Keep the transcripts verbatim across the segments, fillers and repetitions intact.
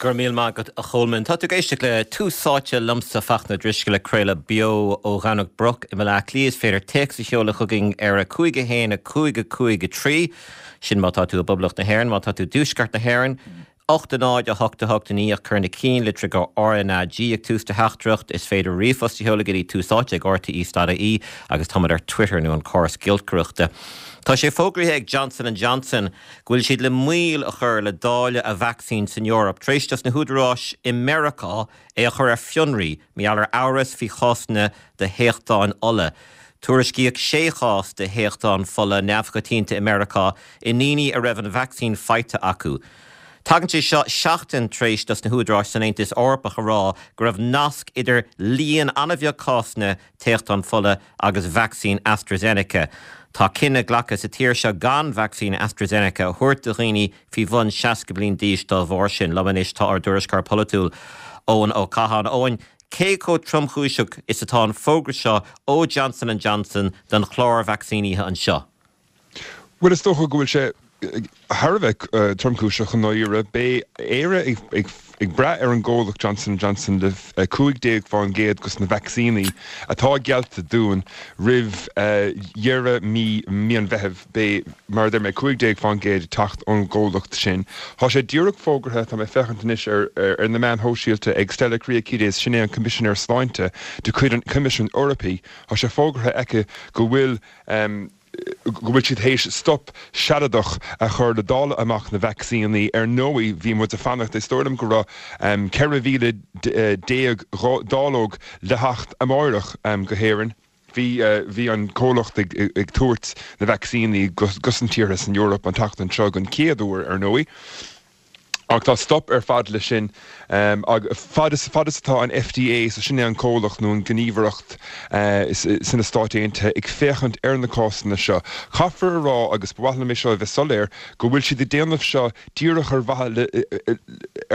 Go raibh míle maith agat, a Cholmáin. Tá tú ag éisteacht le Tús Áite liomsa, Fachtna Drisceoil, ag craoladh beo ó Dhomhnach Broc i mBaile Átha Cliath. Is féidir téacs a sheoladh chugainn ar a cúig a haon a cúig a cúig a trí. Sin má tá tú i bPoblacht na hÉireann, má tá tú i dtuaisceart na hÉireann, ocht a náid a hocht a hocht a naoi, ach cuir na cinnlitreacha R N A G ag tús do theachtaireacht. Is féidir ríomhphost a sheoladh go dtí túsáite ag R T E ponc I E agus táimid ar Twitter nó an córas giolcaireachta. Tá sé fógraithe ag Johnson and Johnson go bhfuil siad le moill a chur le dáileadh a vacsaín san Eoraip, tar éis dos na húdaráis i Meiriceá é a chur ar fionraí mar gheall ar amhras faoi chásanna de théachtáin fhola. Tuairiscíodh sé chás de théachtán fola neamhchoitianta i Meiriceá i ndaoine a raibh an vacsaín faighte acu. Tagann sé seo seachtain tar éis dos na húdaráis san Aontas Eorpach a rá go raibh nasc idir líon an-bheag cásanna téachtán fola agus vacsaín AstraZeneca. Tá cinneadh glactha sa tír seo gan vacsaín AstraZeneca a thabhairt do dhaoine faoi bhun seasca bliain d'aois dá bharr sin. Liom anois tá ár dtuairisceoir polaitiúil, Eoin Ó Catháin. Eoin, cé chomh tromchúiseach is atá an fógra seo ó Johnson and Johnson don chlár vacsaínithe anseo? Well, is dócha go bhfuil sé thar a bheith tromchúiseach i ndáiríre. Beidh Éire ag ag brath ar an gcomhlacht Johnson Johnson le cúig déag faoin gcéad dos na vacsaíní atá geallta dúinn roimh dheireadh mí mí an Mheithimh. Beidh, mar a deir mé, cúig déag faoin gcéad teacht ón gcomhlacht sin. Tá sé díreach fógartha, tá mé féachaint anois ar ar na meáin shóisialta, ag Stella Kyriakides, sin é an Coimisinéir Sláinte de chuid an Choimisiúin Eorpaigh. Tá sé fógartha aici go bhfuil um, go bhfuil siad théis stop sealadach a chur le dáileadh amach na vacsaíní. Ar ndóigh, bhí muid ag fanacht, is dóigh liom go raibh um, ceithre mhíle déag dáileog le theacht amárach um, go hÉirinn. Bhí uh, bhí an comhlacht ag, ag tabhairt na vacsaíní dos na tíortha san Eoraip an tseachtain seo den chéad uair, ar ndóigh. Ach tá stop ar fad le sin um, ag fad is fad is atá an F D A, so sin é an comhlacht nó an gníomhaireacht uh, sna Stáit Aontaithe, ag féachaint ar na cásanna seo. Caithfear a rá, agus ba mhaith liom seo a bheith soiléir, go bhfuil siad ag déanamh seo díreach ar mhaithe le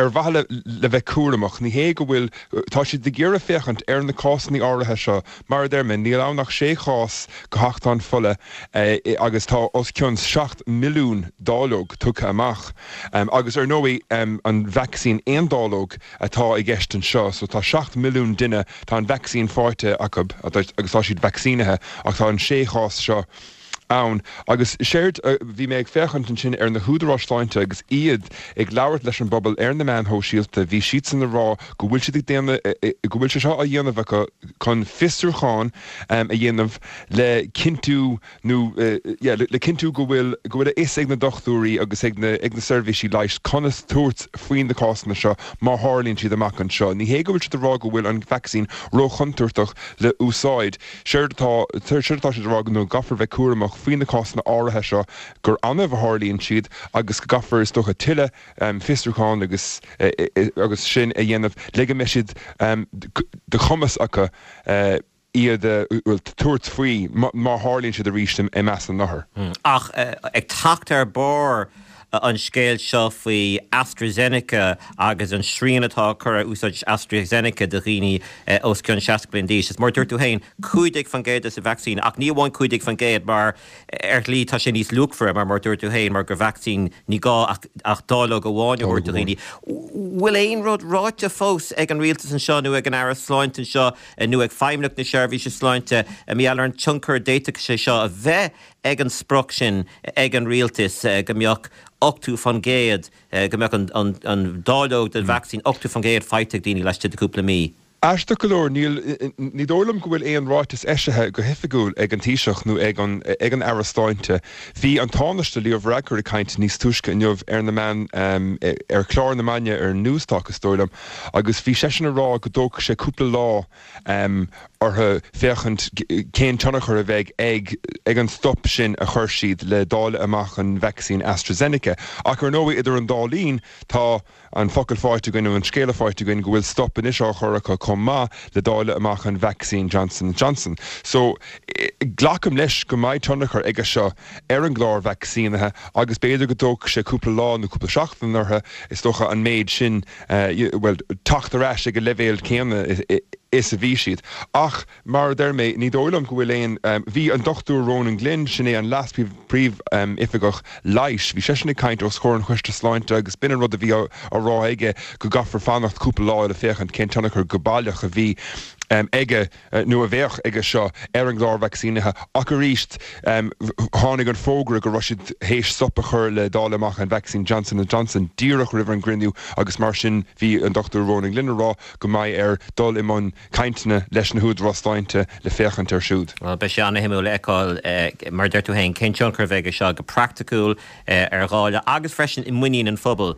ar mhaithe le, le bheith cúramach. Ní hé go bhfuil, tá siad ag iarraidh féachaint ar na cásanna áirithe seo. Mar a deir mé, níl ann ach sé chás de théachtán fola eh, agus tá os cionn seacht milliún dáileog tugtha amach. Um, agus ar ndóigh, um, an vacsaín aon dáileog atá i gceist anseo, so tá seacht milliún duine, tá an vacsaín faighte acu agus tá siad vacsaínithe, ach tá an sé chás seo ann. Agus séard uh, bhí mé ag féachaint ansin ar na húdaráis sláinte agus iad ag labhairt leis an bpobal ar na meáin shóisialta, bhí siad san ag rá go bhfuil siad ag déanamh, go bhfuil sé seo á dhéanamh acu chun fiosrúchán um, a dhéanamh le cinntiú nó uh, yeah, le, le cinntiú go bhfuil go bhfuil a fhios ag na dochtúirí agus ag na ag na seirbhísí leighis conas tabhairt faoin na cásanna seo má tharlaíonn siad amach anseo. Ní hé go bhfuil siad ag rá go bhfuil an vacsaín róchontúirteach le úsáid. Séard atá séard atá siad ag rá nó go gcaithfear bheith cúramach faoi na cásanna áirithe seo, gur annamh a tharlaíonn siad agus go gcaithfear, is dócha, tuilleadh um, fiosrúchán agus uh, agus sin a dhéanamh le go mbeidh siad um, de chumas acu uh, iad bhfuil tabhairt faoi má tharlaíonn siad arís i measc na n-othar. Hmm. Ach ag teacht ar bord an scéal seo faoi AstraZeneca agus an srian atá curtha ar úsáid AstraZeneca do dhaoine os cionn seasca bliain d'aois. Is mar dúirt tú féin, cúig faoin gcéad sa vacsaín, ach ní amháin cúig faoin gcéad, mar ar shlí tá sé níos luachmhaire, mar mar dúirt tú féin, mar gur vacsaín ní gá ach, ach dáileog amháin a thabhairt do dhaoine. Bhfuil aon rud ráite fós ag an rialtas anseo nó ag an Aire Sláinte anseo nó ag Feidhmeannacht na Seirbhíse Sláinte mar gheall ar an tionchar d'fhéadfadh sé seo a bheith ag an sprioc sin ag an rialtas go mbeadh ochtó faoin gcéad, go mbeadh an, an, an dáileog den vacsaín ochtó faoin gcéad faighte ag daoine laistigh de cúpla mí? Aisteach go leor, níl ní dóigh liom go bhfuil aon ráiteas eisithe go hoifigiúil ag an Taoiseach nó ag an ag an Aire Sláinte. Bhí an Tánaiste Leo Varadkar ag caint níos túisce inniu ar na meáin, um, ar chlár na maidine ar Newstalk, is dóigh liom, agus bhí seisean ag rá go dtógfaidh sé cúpla lá um, orthu féachaint cén tionchar a bheidh ag ag an stop sin a chuir siad le dáileadh amach an vacsaín AstraZeneca. Ach ar ndóigh, idir an dá linn, tá an focal faighte againn, an scéala faighte againn, go bhfuil stop anois á chur acu chomh maith le dáileadh amach an vacsaín Johnson Johnson. So glacaim leis go mbeidh tionchar aige seo ar an gclár vacsaínithe agus b'fhéidir go dtógfaidh sé cúpla lá nó cúpla seachtain orthu, is dócha, an méid sin uh, well, teacht ar ais ag an leibhéal céanna. is a bhí siad. Ach mar a deir mé, ní dóigh liom go bhfuil aon, bhí an Dochtúir Ronan Glynn, sin é an Leas-Phríomhoifigeach Leighis, bhí seisean ag caint os comhair an Choiste Sláinte agus b'in an rud a bhí á rá aige go gcaithfear fanacht cúpla lá le féachaint cén tionchar go baileach a bhí aige nó a bheadh aige seo ar an gclár vacsaínithe. Ach arís, tháinig an fógra go raibh siad théis stop a chur le dáileadh amach an vacsaín Johnson and Johnson díreach roimh an gcruinniú agus mar sin bhí an Dochtúir Ronan Glynn ag rá go mbeidh air dul i mbun cainteanna leis na húdaráis sláinte le féachaint air siúd. Bhuel, beidh sé an-shuimiúil a fheiceáil, mar a deir tú féin, cén tionchar a bheidh aige seo go praiticiúil ar dháileadh agus freisin i muinín an phobail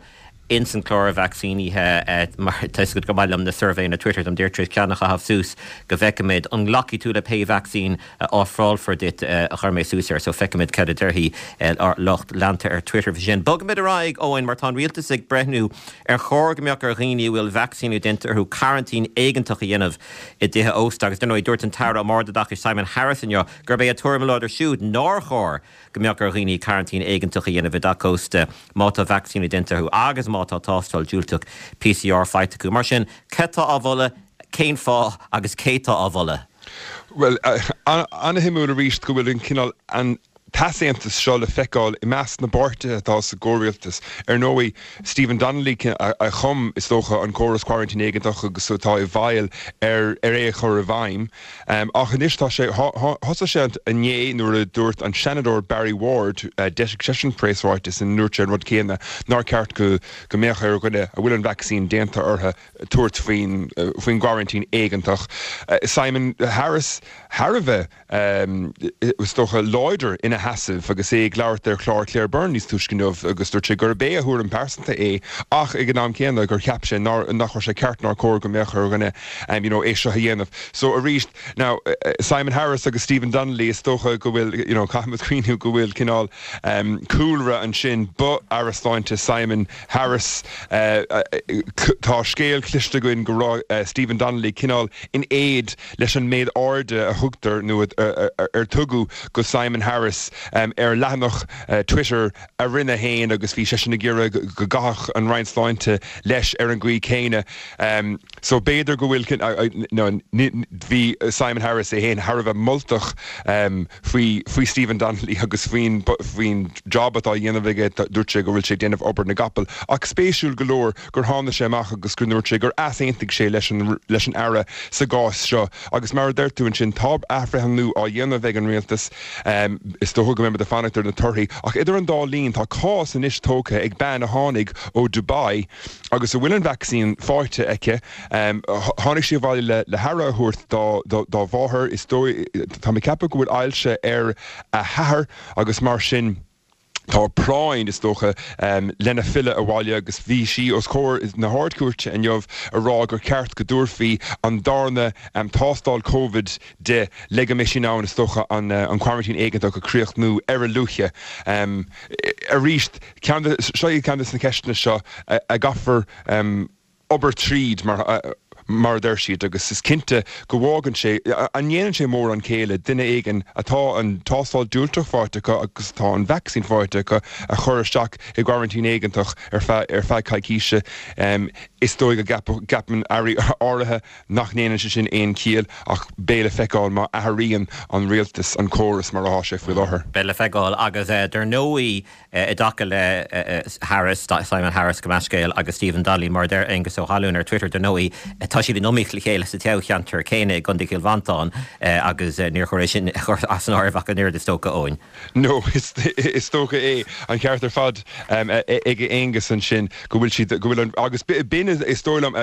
ins an clár vacsaínithe mar tá fhios agat go maith liom na suirbhéanna Twitter táim díreach tar éis ceann a chaitheamh suas go bhfeicfimid an nglacfaidh tú le pé vacsaín a ofrálfar duit a chuir mé suas air so feicfimid cad a déarfaidh ár lucht leanta ar Twitter faoi sin. Bogfaimid ar aghaidh Eoin mar tá an rialtas ag breithniú ar chóir go mbeadh ar dhaoine a bhfuil vacsaíniú déanta orthu coraintín éigeantach a dhéanamh i dtithe ósta agus dar ndóigh dúirt an tAire um Ardoideachas Simon Harris inniu gurb é a tuairim láidir siúd nár chóir go mbeadh ar dhaoine coraintín éigeantach a dhéanamh i dteach ósta má tá vacsaíniú déanta orthu agus má tá tástáil diúltach P C R faighte acu. Mar sin, cé tá á mholadh, cén fáth agus cé tá á mholadh? Bhuel, an-shuimiúil arís go bhfuil an cineál an t-easaontas seo le feiceáil i measc na bpáirtithe atá sa gcomhrialtas. Ar ndóigh, Stephen Donnelly a chum, is dócha, an córas coraintín éigeantach agus atá i bhfeighil ar ar é a chur i bhfeidhm. Ach anois tá sé, thosaigh sé inné nuair a dúirt an Seanadóir Barry Ward, d'eisigh seisean preasráiteas ina ndúirt sé an rud céanna, nár cheart go go mbeadh ar dhuine a bhfuil an vacsaín déanta orthu tabhairt faoin faoin gcoraintín éigeantach. Simon Harris thar a bheith, is dócha, láidir ina sheasamh agus é ag labhairt ar chlár Claire Byrne níos túisce inniu agus dúirt sé gurb é a thuairim pearsanta é ach ag an am céanna gur cheap sé nach raibh sé ceart nár chóir go mbeadh ar dhuine you know é seo a dhéanamh. So arís, now Simon Harris agus Stephen Donnelly, is dócha go bhfuil, you know, caithfimid cuimhniú go bhfuil cineál cúlra ansin, ba Aire Sláinte Simon Harris, tá scéal cloiste againn go raibh Stephen Donnelly cineál in éad leis an méid airde a thugtar nó ar tugadh go Simon Harris ar leathanach Twitter a rinne féin agus bhí seisean ag iarraidh go gcaithfeadh an Roinn Sláinte leis ar an gcaoi céanna. So b'fhéidir go bhfuil, no, bhí Simon Harris é féin thar a bheith moltach faoi faoi Stephen Donnelly agus faoin faoin job atá á dhéanamh aige, dúirt sé go bhfuil sé ag déanamh obair na gcapall. Ach spéisiúil go leor gur tháinig sé amach agus go ndúirt sé gur easaontaigh sé leis an leis an Aire sa gcás seo. Agus mar a deir tú ansin, tá athbhreithniú á dhéanamh ag an rialtas, is dócha go mbeimid ag fanacht ar na torthaí. Ach idir an dá linn, tá cás anois tógtha ag bean a tháinig ó Dubai agus a bhfuil an vacsaín faighte aici. Tháinig sí abhaile le le haire a thabhairt dá dá mháthair. Is dóigh, tá mé ag ceapadh go bhfuil ailse ar a hathair agus mar sin, Tá práinn, is dócha, lena filleadh abhaile agus bhí sí os comhair na hArd-Chúirte inniu ag rá gur ceart go dtabharfaí an darna tástáil Covid di le go mbeidh sí in ann, is dócha, an coraintín éigeantach a chríochnú ar a luaithe. Arís, ceann de, seo iad ceann de na ceisteanna seo a gcaithfear obair tríd, mar mar a deir siad, agus is cinnte go bhfágann sé, an ndéanann sé mórán céille duine éigin atá an tástáil diúltach faighte acu agus atá an vacsaín faighte acu a chur isteach i gcoraintín éigeantach ar feadh ar feadh coicíse. Is dóigh go gceapann airí áirithe nach ndéanann sé sin aon chiall ach beidh le feiceáil má athraíonn an rialtas an córas mar atá sé faoi láthair. Beidh le feiceáil agus dar ndóigh i dtaca le Harris, Simon Harris gabh mo leithscéal, agus Stephen Donnelly, mar a deir Aengus Ó hAlúin ar Twitter, dar ndóigh, tá siad in iomaíocht le chéile sa toghcheantar céanna i gContae Chill Mhantáin agus níor chóir é sin a chur as an áireamh ach an oiread, is dócha, Eoin. No, is dócha é an ceart ar fad ag Aengus ansin go bhfuil siad, go bhfuil an, agus b'in is dóigh liom,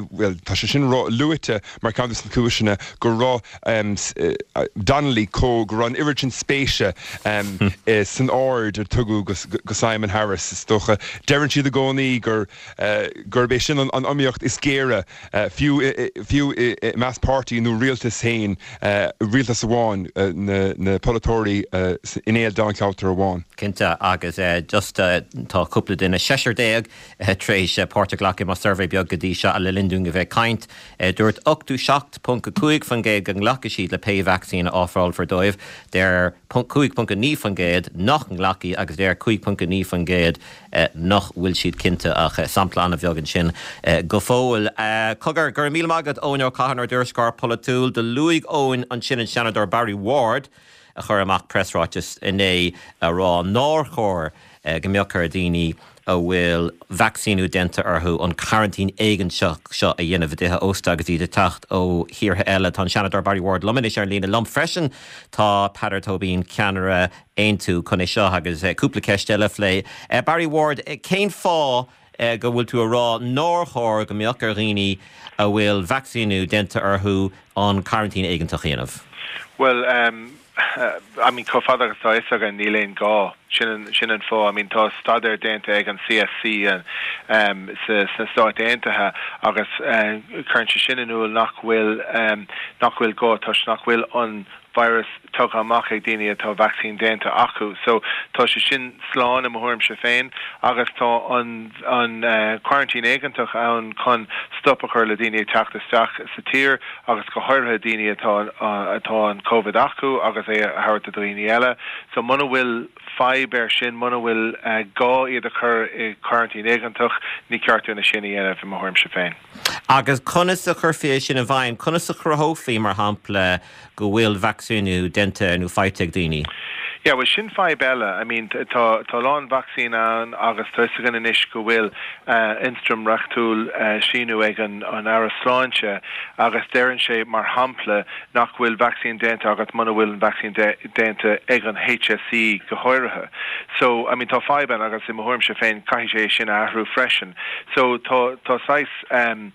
bhuel, tá sé sin luaite mar cheann de na cúiseanna go raibh Donnelly chomh, go raibh an oiread sin spéise san aird a tugadh go Simon Harris, is dócha. Deireann siad i gcónaí gur gurb é sin an iomaíocht is géire, fiú fiú i measc páirtí nó rialtas féin, rialtas amháin, na polaiteoirí in aon dáilcheantar amháin. Cinnte agus uh, just uh, tá cúpla duine seisear déag uh, tar éis uh, páirt a ghlacadh i mo suirbhé beag go dtí seo le linn dúinn a bheith ag caint uh, dúirt ochtó seacht ponc a cúig faoin gcéad go nglacfaidh siad le pé vacsaín a ofrálfar dóibh deir cúig ponc naoi faoin gcéad nach nglacfaidh agus deir cúig ponc naoi faoin gcéad uh, nach bhfuil siad cinnte ach uh, sampla an-bheag ansin uh, go fóill. Uh, Cogar go raibh míle maith agat Eoin Ó Catháin ár dtuairisceoir polaitiúil do luaigh Eoin ansin an Seanadóir Barry Ward a chuir amach preasráiteas inné a rá nár chóir go mbeadh ar daoine a bhfuil vacsaíniú déanta orthu an coraintín éigeantach seo a dhéanamh i dtithe ósta agus iad ag teacht ó thíortha eile tá an Seanadóir Barry Ward liom anois ar líne liom freisin tá Peadar Tóibín ceannaire Aontú chun é seo agus cúpla ceist eile a phlé. Barry Ward cén fáth go bhfuil tú a rá nár chóir go mbeadh ar dhaoine a bhfuil vacsaíniú déanta orthu an coraintín éigeantach a dhéanamh. Well um, uh, I mean chomh fada agus atá a fhios agam níl aon gá sin sin an fáth I mean tá staidéar déanta ag an CSC an um, sa sna Stáit Aontaithe agus uh, cuireann sé sin in iúl nach bhfuil um, nach bhfuil gá toisc nach bhfuil an virus tugtha amach ag daoine atá vacsaín déanta acu so tá sé sin slán i mo thuairimse féin agus tá an an uh, quarantine éigeantach ann chun stop a chur le daoine teacht isteach sa tír agus go háirithe daoine atá uh, atá an COVID acu agus é a thabhairt do dhaoine eile so muna bhfuil fadhb air sin muna bhfuil uh, gá iad a chur i quarantine éigeantach ní ceart dúinn é sin a dhéanamh i mo thuairimse féin. Agus conas a chuirfí é sin i bhfeidhm, conas a chruthófaí mar shampla go bhfuil vacsaíniú déanta nó faighte ag daoine. Yeah, well sin fadhb eile. I mean tá tá lán vacsaín ann agus tá gan anois go bhfuil uh, ionstraim reachtúil uh, síniú ag an an Aire Sláinte agus deireann sé mar shampla nach bhfuil vacsaín déanta agat muna bhfuil an vacsaín déanta ag an HSE go háirithe. So I mean tá fadhb ann agus i mo thuairimse féin caithfidh sé sin athrú freisin. So tá tá sais um,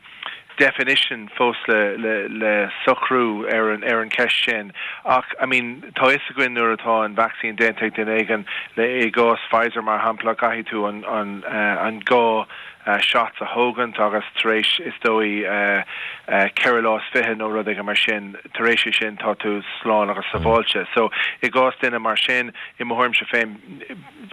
definition fós le le le socrú ar an ar an ceist sin ach I mean tá is againn nuair atá an vacsaín déanta ag duine éigin le i gcás Pfizer mar shampla caithfidh tú an an uh, an dhá uh, shots a thógaint agus tar éis is dóigh uh, uh, ceithre lá fiche nó rud mar sin tar éis sin tá tú slán agus sábháilte. So i gcás duine mar sin i mo thuairimse féin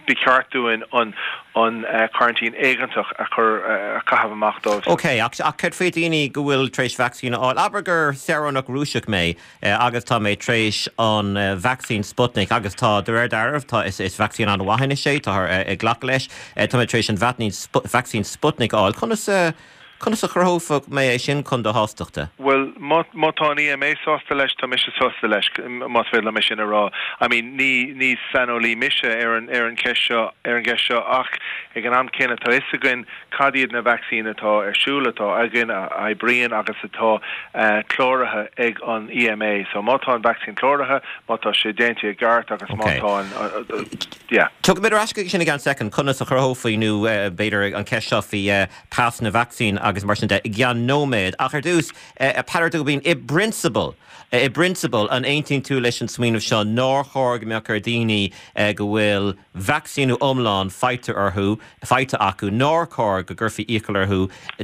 ba cheart dúinn an an uh, quarantine éigeantach a chur uh, a chaitheamh amach dóibh. Ok, ach ach cad faoi daoine go bhfuil tar éis vacsaín a fháil. Abair gur saoránach Rúiseach mé eh, agus tá mé tar éis an uh, vacsaín Sputnik agus tá de réir dealraimh tá is, is vacsaín an-mhaith sé tá uh, ag glacadh leis uh, tá mé tar éis an vacsaín Sputnik a fháil. Conas uh, Conas a chruthófadh mé é sin chun do shástachta? Well má tá an EMA sásta leis tá mise sásta leis más féidir liom sin a rá. I mean ní ní saineolaí mise ar an ar an cheist seo ar an gceist seo ach ag an am céanna tá is againn cad iad na vacsaíní atá ar siúl atá againn a oibríonn agus atá uh, cláraithe ag an EMA. So má tá an vacsaín cláraithe, má tá sé déanta i gceart agus má tá an uh, uh, yeah. Tiocfaimid ar ais chuige sin i gceann soicind conas a chruthófaí nó uh, b'fhéidir an ceist seo faoi uh, pas na vacsaín agus mar sin de i gceann nóiméad ach ar dtús uh, Peadar Tóibín i bprionsabal i bprionsabal an aontaíonn tú leis an smaoineamh seo nár chóir go mbeadh ar daoine uh, go bhfuil vacsaíniú iomlán faighte orthu faighte acu nár chóir go gcuirfí iachall orthu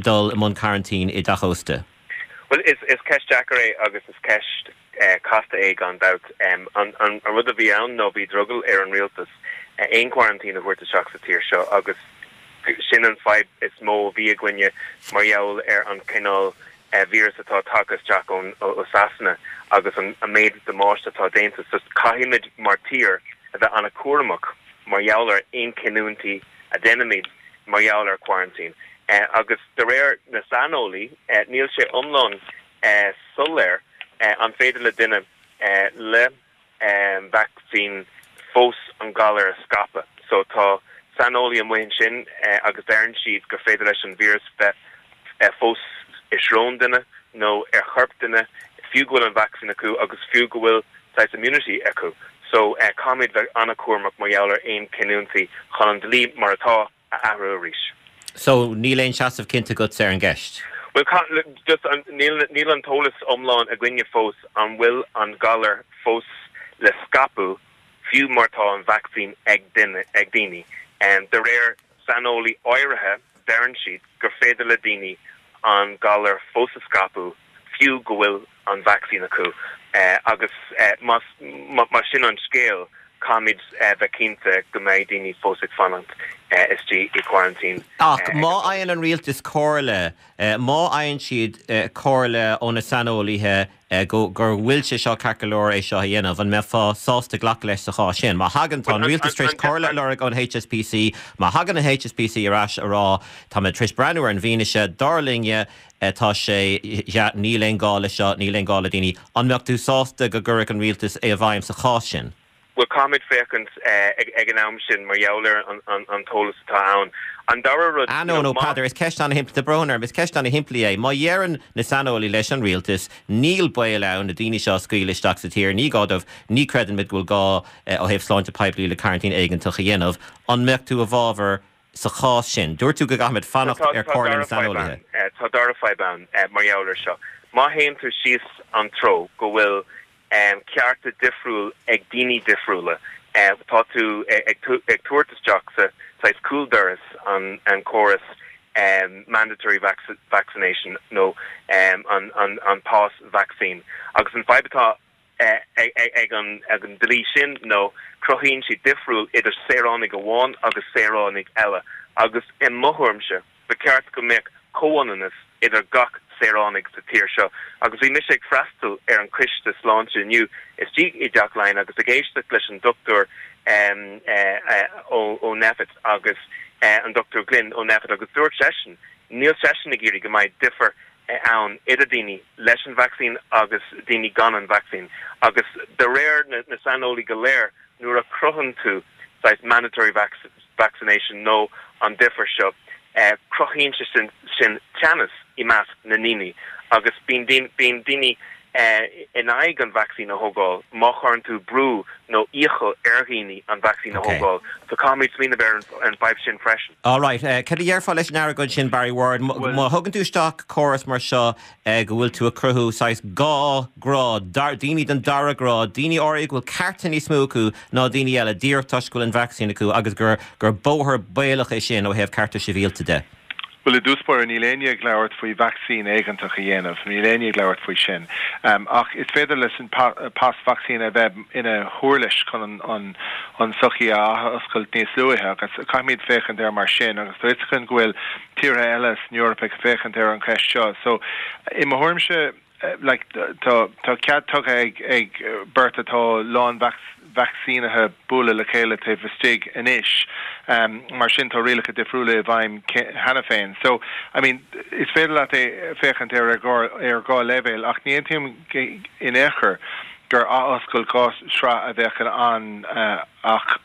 dul i mbun coraintín i dteach ósta. Well is is ceist deacair é agus is ceist uh, casta é gan dabht um, an, an, an rud a bhí ann nó bhí drogall ar an rialtas uh, aon quarantine a thabhairt isteach sa tír seo agus sin an fadhb is mó a bhí againne mar gheall ar an cineál uh, virus atá tagtha isteach ón ó Sasana agus an, an méid damáiste atá déanta so caithfimid mar tír a bheith an-chúramach mar gheall ar aon chinniúintí a dhéanaimid mar gheall ar quarantine. Uh, agus de réir na saineolaí uh, níl sé iomlán uh, soiléir uh, an féidir le duine uh, le um, vacsaín fós an galar a scaipeadh. So tá saineolaí amuigh ansin uh, agus deireann siad gur féidir leis an virus bheith uh, fós i srón duine nó ar chorp duine fiú go bhfuil an vacsaín acu agus fiú go bhfuil saghas immunity acu. So uh, caithfimid bheith an-chúramach mar gheall ar aon chinniúintí chun an dlí mar atá a athrú arís. So níl aon seasamh cinnte agat ar an gceist. Well just níl níl an t-eolas iomlán againne fós an bhfuil an galar fós le scaipeadh fiú má tá an vacsaín ag duine ag daoine. Um, de réir saineolaí áirithe deireann siad gur féidir le daoine an galar fós a scaipeadh fiú go bhfuil an vacsaín acu uh, agus uh, más sin an scéal Caithfimid bheith cinnte go mbeidh daoine fós ag fanacht istigh i quarantine. Ach má fhaigheann an rialtas comhairle, má fhaigheann siad comhairle ó na saineolaithe go gur bhfuil sé seo ceart go leor é seo a dhéanamh, an mbeifeá sásta glacadh leis sa chás sin? Má thagann, tá an rialtas tar éis comhairle a lorg ón H S P C, má thagann an H S P C ar ais a rá tá mé tar éis breathnú ar an bhfianaise, dar linne tá sé, níl aon gá le seo, níl aon gá le daoine, an mbeadh tú sásta go gcuirfeadh an rialtas é i bhfeidhm sa chás sin? Bhuel, caithfimid féachaint ag an am sin mar gheall ar an t-eolas atá ann. An dara rud. Ah no, no, Peadar, is ceist an-shimplí, tá brón orm, is ceist an-shimplí é. Má dheireann na saineolaí leis an rialtas, níl baol ann na daoine seo a scaoileadh isteach sa tír, ní gá dóibh, ní chreideann muid go bhfuil gá ó thaobh sláinte poiblí le coraintín éigeantach a dhéanamh, an mbeadh tú i bhfabhar sa chás sin? Dúirt tú go gcaithfimid fanacht ar chomhairle na saineolaithe. Tá dara fadhb ann mar gheall ar seo. Má théann tú síos an treo go bhfuil cearta difriúil ag daoine difriúla, tá tú ag tabhairt isteach sa saghas cúldoras an an córas mandatory vaccination nó an an an pas vacsaín. Agus an fadhb atá ag an ag an dlí sin nó cruthaíonn sé difriúil idir saoránaigh amháin agus saoránaigh eile, agus i mo thuairimse ba cheart go mbeadh comhionannas idir gach saoránaigh sa tír seo. Agus bhí mise ag freastal ar an coiste sláinte inniu istigh i dTeach Laighean agus ag éisteacht leis an dochtúir um, uh, ó, ó Nphet agus uh, an Doctor Glynn ó Nphet, agus dúirt seisean, níl seisean ag iarraidh go mbeidh difear ann idir daoine leis an vacsaín agus daoine gan an vacsaín. Agus de réir na, na saineolaí go léir, nuair a chruthaíonn tú saghas mandatory vac vaccination nó an difear seo, eh, cruthaíonn sé sin, sin teannas i measc na ndaoine, agus bíonn bíonn daoine eh, in aghaidh an vacsaín a thógáil má chuireann tú brú nó iachall ar dhaoine an vacsaín a thógáil. So caithfimid smaoineamh ar an bhfadhb sin freisin. All right, uh, Cad a déarfá leis an argóint sin, Barry Ward, má thugann tú isteach córas mar seo uh, go bhfuil tú ag cruthú saghas dhá ghrád, daoine den dara grád, daoine áirithe go bhfuil cearta níos mó acu ná daoine eile díreach toisc go bhfuil an vacsaín acu, agus gur gur bóthar baolach é sin ó thaobh cearta sibhialta de. Well, i dtús báire, níl éinne ag labhairt faoi vacsaín éigeantach a dhéanamh, níl éinne ag labhairt faoi sin. Um, ach is féidir leis an pa pas vacsaín a bheith ina huirlis chun an, an, an sochaí a oscailt níos luaithe, agus caithfimid féachaint air mar sin, agus tá chun go bhfuil tíortha eile san Eoraip ag féachaint ar an cheist seo. So i mo thuairimse, like, tá tá cead tugtha ag ag beirt atá lán vacsaínithe bualadh le chéile taobh istigh anois. Um, mar sin tá rialacha difriúla i bhfeidhm cheana féin. So I mean, is féidir leat é féachaint ar ar ar dhá leibhéal, ach ní aontaím in aon chor gur athoscailt dhá shraith a bheadh an uh, ach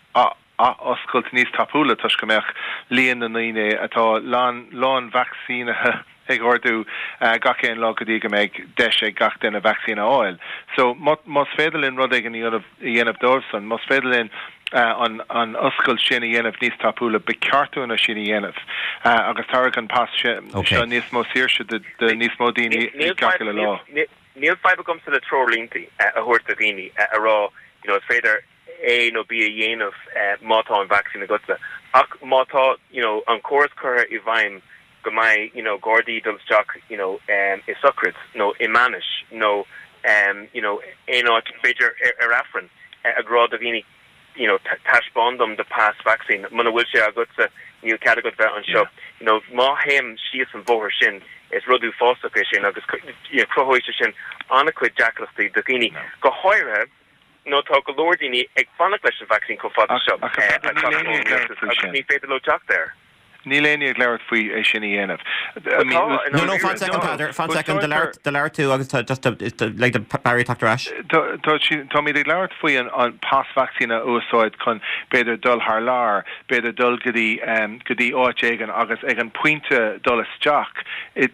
oscailt níos tapúla toisc go mbeadh líon na ndaoine atá lán lán vacsaínithe ag ardú uh, gach aon lá go dtí go mbeidh deis ag gach duine vacsaín a fháil. So más féidir linn rud éigin a dhéanamh dóibhsan, más féidir linn uh, an, an oscailt sin a dhéanamh níos tapúla, ba cheart dúinn sin a dhéanamh. Uh, agus tabharfaidh an pas okay. seo níos mó saoirse de, de níos mó daoine gach lá. Níl fadhb agamsa le treoirlínte a thabhairt do dhaoine a rá you know, is féidir A nó B a dhéanamh uh, má tá an vacsaín agatsa. Ach má tá you know, an córas curtha i bhfeidhm go mbeidh you know, Gardaí dul isteach you know, um, i sochraid nó i mbainis nó um, you know, aon áit, b'fhéidir ar, ar Aifreann uh, ag rá do dhaoine you know, taispeáin dom do pas vacsaín, muna bhfuil sé agatsa níl cead agat bheith anseo. Yeah. You know, má théim síos an bóthar sin, is rud uafásach é sin, agus you know, cruthóidh sé sin an-chuid deacrachtaí do dhaoine. No. Go háirithe nó tá go leor daoine ag fanacht leis an vacsaín chomh fada seo agus ní féidir leo teacht air. Níl éinne ag labhairt faoi é sin a dhéanamh. No no fan second, Peadar, fan second, do labhair tú agus just le Barry teacht ar ais. Táimid ag labhairt faoi an, an pas vacsaín a úsáid chun b'fhéidir dul thar lear, b'fhéidir dul go dtí um, go dtí áit éigin agus ag an pointe dul isteach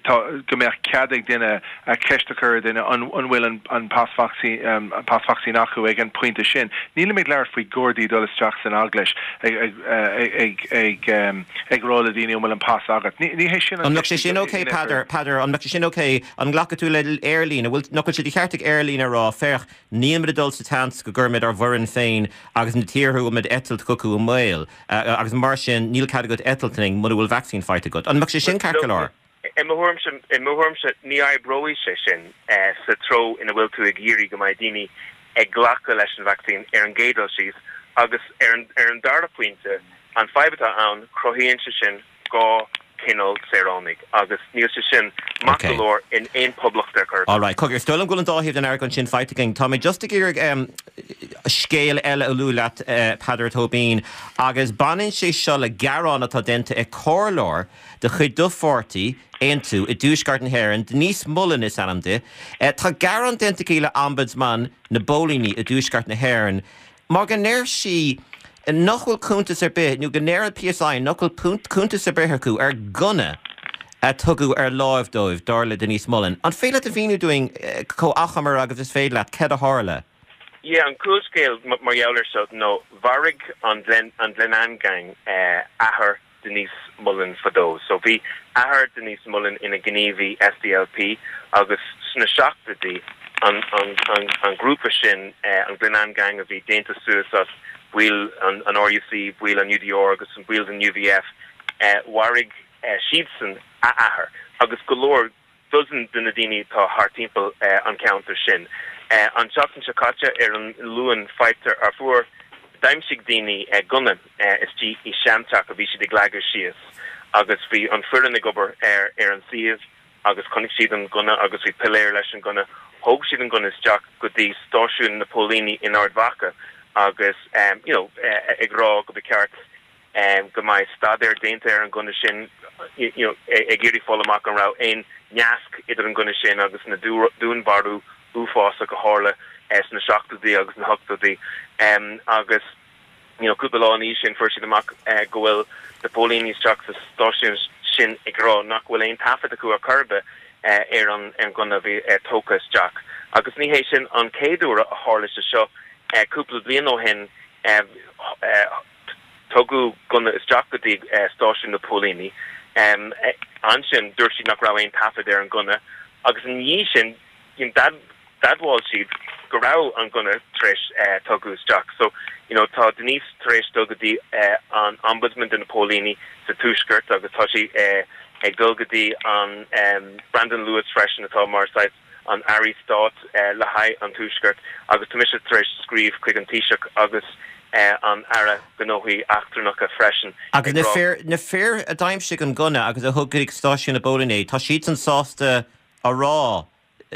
go mbeadh cead ag duine a ceist a chur duine an bhfuil an, an pas vacsaín um, pas vacsaín acu ag an pointe sin. Níl ag labhairt faoi Gardaí dul isteach san eaglais ag ag ag ag ag, ag rá le daoine bhfuil an pas agat. Ní hé sin. An mbeadh sé sin okay, Peadar Peadar an mbeadh sé sin okay? An nglacfaidh tú le aerlíne, bhfuil nach bhfuil sé de cheart ag aerlíne rá, féach, nílimid ag dul sa tseans go gcuirfimid ár bhfoireann féin agus na tíortha a bhfuilimid ag eitilt chucu i mbaol, agus mar sin níl cead agat eitilt linn mura bhfuil vacsaín faighte agat. An mbeadh sé sin ceart go leor? I mo thuairimse ní oibreoidh sé sin sa treo ina bhfuil tú ag iarraidh go mbeidh daoine ag glacadh leis an vacsaín ar an gcéad dul síos. Agus ar an, ar an dara pointe, an fadhb atá ann, cruthaíonn sé sin dhá chineál saoránaigh agus níl sé sin maith go leor in aon poblacht ar chor ar bith. All right, cogar, is dóigh liom go bhfuil an dá thaobh den argóint sin faighte againn. Tá mé just ag iarraidh um, scéal eile a lua leat, uh, Peadar Tóibín, agus baineann sé seo le gearán atá déanta ag comhairleoir de chuid do pháirtí, Aontú, i dTuaisceart na hÉireann, Denise Mullen is ainm di. Uh, tá gearán déanta aici le Ombudsman na bPóilíní i dTuaisceart na hÉireann, mar go ndeir sí nach bhfuil cuntas ar bith, nó go ndeir an PSI nach bhfuil cuntas ar bith acu ar gunna a tugadh ar láimh dóibh, dar le Denise Mullen. An féidir leat a mhíniú dúinn chomh achomair agus is féidir leat céard a tharla? Yeah, an cúlscéal mar gheall air seo nó mharaigh an an Glenanne Gang athair Denise Mullen fadó. So bhí athair Denise Mullen ina ghníomhaí SDLP agus sna seachtóidí an, an, an, an grúpa sin, an Glenanne Gang a bhí déanta suas as baill an, an RUC, baill an UDR agus an baill den UVF, mharaigh siadsan a athair agus go leor dozen de na daoine atá thart timpeall an ceantar sin. An tseachtain seo caite ar an Luan faightear ar fuair d'aimsigh daoine gunna istigh i seanteach a bhí siad ag leagadh síos agus bhí an foireann ag obair ar ar an suíomh agus chonaic siad an gunna agus bhí piléar leis an gunna. Thóg siad an gunna isteach go dtí stáisiún na póilíní in Ard Mhacha agus you know ag rá go ba cheart go mbeidh staidéar déanta ar an gunna sin you know ag iarraidh fáil amach an raibh aon nasc idir an gunna sin agus na dúnmharú uafásach a tharla sna seachtóidí agus na hochtóidí agus you know cúpla lá ina dhiaidh sin fuair siad amach go bhfuil na póilíní isteach sa stáisiún sin ag rá nach bhfuil aon taifead acu ar chor ar bith ar an ar an gunna a bhí tógtha isteach. Agus ní hé sin an chéad uair a tharla sé seo cúpla bliain ó shin tugadh gunna isteach go dtí stáisiún na póilíní. Ansin dúirt siad nach raibh aon taifead ar an gunna agus ina dhiaidh sin d'admháil siad go raibh an gunna tar éis tugadh isteach. So you know tá Denise tar éis dul go dtí an Ombudsman de na póilíní sa Tuaisceart agus tá sí ag dul go dtí an Brandon Lewis freisin atá mar saghas an Aire Stáit le haghaidh an Tuaisceart agus tá mise tar éis scríobh chuig an Taoiseach agus an Aire Gnóthaí Eachtrannacha freisin. Agus na fir na fir a d'aimsigh an gunna agus a thug go stáisiún na bpóilíní, tá siadsan sásta a rá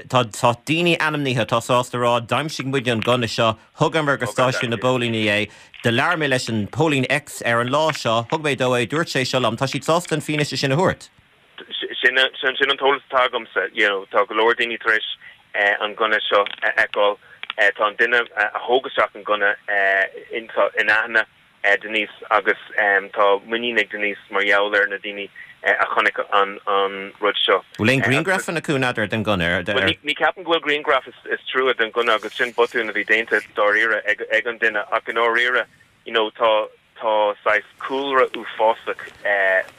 tá tá daoine ainmnithe atá sásta a rá d'aimsigh muid an gunna seo, thugamar go stáisiún na bpóilíní é, do labhair mé leis an póilín X ar an lá seo, thug mé dó é, dúirt sé seo liom, tá siad sásta an fianaise sin a thabhairt. Sin sin an t-eolas atá agamsa, you know, tá go leor daoine tar éis an gunna seo a fheiceáil, tá an duine a thóg isteach an gunna in aithne Denise agus tá muinín ag Denise mar gheall ar na daoine a chonaic an an rud seo. Bhfuil aon grianghrafanna acu n'fheadar den gunna ar Bhuel ní ceapaim go bhfuil grianghraf is is trua den gunna agus sin botún a bhí déanta dáiríre ag ag an duine ach i ndáiríre you know tá tá saghas cúlra uafásach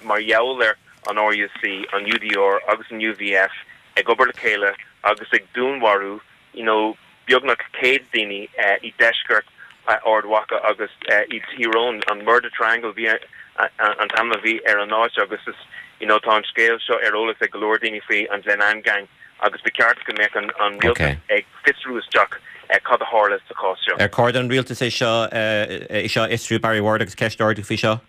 mar gheall ar an RUC, an UDR agus an UVF ag obair le chéile agus ag dúnmharú you know beagnach céad daoine i deisceart Ard Mhacha agus i Tír Eoghain, an Murder Triangle bhí an t-ainm a bhí ar an áit agus is you know tá an scéal seo ar eolas ag go leor daoine faoi an Glenanne Gang agus ba cheart go mbeadh an an rialtas ag fiosrú isteach cad a tharla sa chás seo. Ar chóir don rialtas é seo é seo a fhiosrú Barry Ward agus ceist a ardú faoi seo?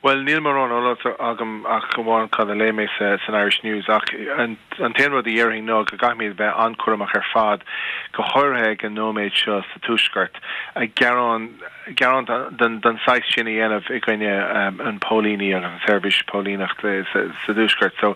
Bhuel, níl mórán eolas agam ach amháin cad a léigh mé sa san Irish News ach an an t-aon rud a dhéarfainn ná go gcaithfimid bheith an-chúramach ar fad, go háirithe ag an nóiméad seo sa Tuaisceart, gearán gearán den den saghas sin a dhéanamh i gcoinne an póilíní agus an seirbhís póilíneachta sa sa Tuaisceart. So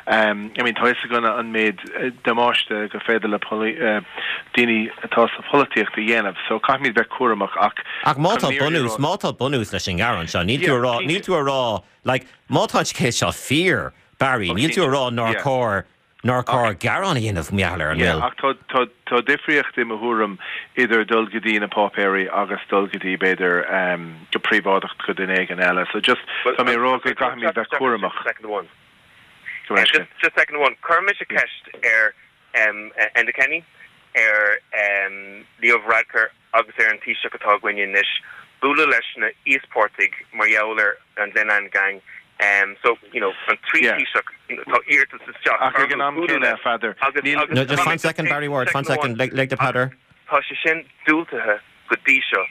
I mean tá fhios againn an méid damáiste go féidir le daoine atá sa pholaitíocht a dhéanamh. So caithfimid bheith cúramach ach Ach má tá bunús má tá bunús leis an ngearán seo, níl tú a rá níl tú a rá like má tá an scéal seo fíor, Barry, níl tú a rá nár chóir nár chóir gearán a dhéanamh mar gheall air, an bhfuil? Ach tá tá tá difríocht i mo thuairim idir dul go dtí na páipéirí agus dul go dtí b'fhéidir go príobháideach go duine éigin eile. So just tá mé ag rá go gcaithfimid bheith cúramach. Second one. Just just second one. Chuir mise ceist ar Enda Kenny, ar Leo Varadkar agus ar an Taoiseach atá againne anois bualadh leis na íospartaigh mar gheall ar an Glenanne Gang. So, you know, an trí Taoiseach, tá iarratas isteach Ach ag an am céanna, a Pheadair, níl. No, just fan second, Barry Ward, fan second, lig do Peadar. Tá sé sin diúltaithe go dtí seo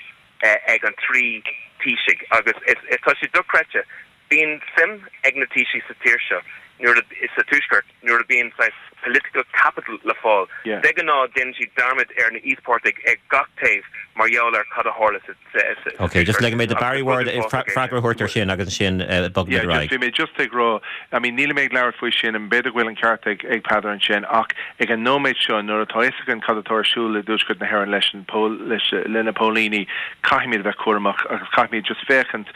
ag an trí Taoisigh agus is is tá sé dochreidte bíonn suim ag na Taoisigh sa tír seo nuair is sa tuaisceart nuair a bíonn saghas political capital le fáil. De ghnáth déanann siad dearmad ar na íospartaigh ag gach taobh mar gheall ar cad a tharla sa Ok, just ligfidh mé do Barry Ward freagra a thabhairt air sin agus ansin bogfaidh muid ar aghaidh. Bhí mé just ag rá, I mean níl mé ag labhairt faoi sin an b'fhéidir go bhfuil an ceart ag ag Peadar ansin ach ag an nóiméad seo nuair atá fhios againn cad atá ar siúl i dtuaisceart na hÉireann leis an pól leis le na póilíní caithfimid a bheith cúramach agus caithfimid just féachaint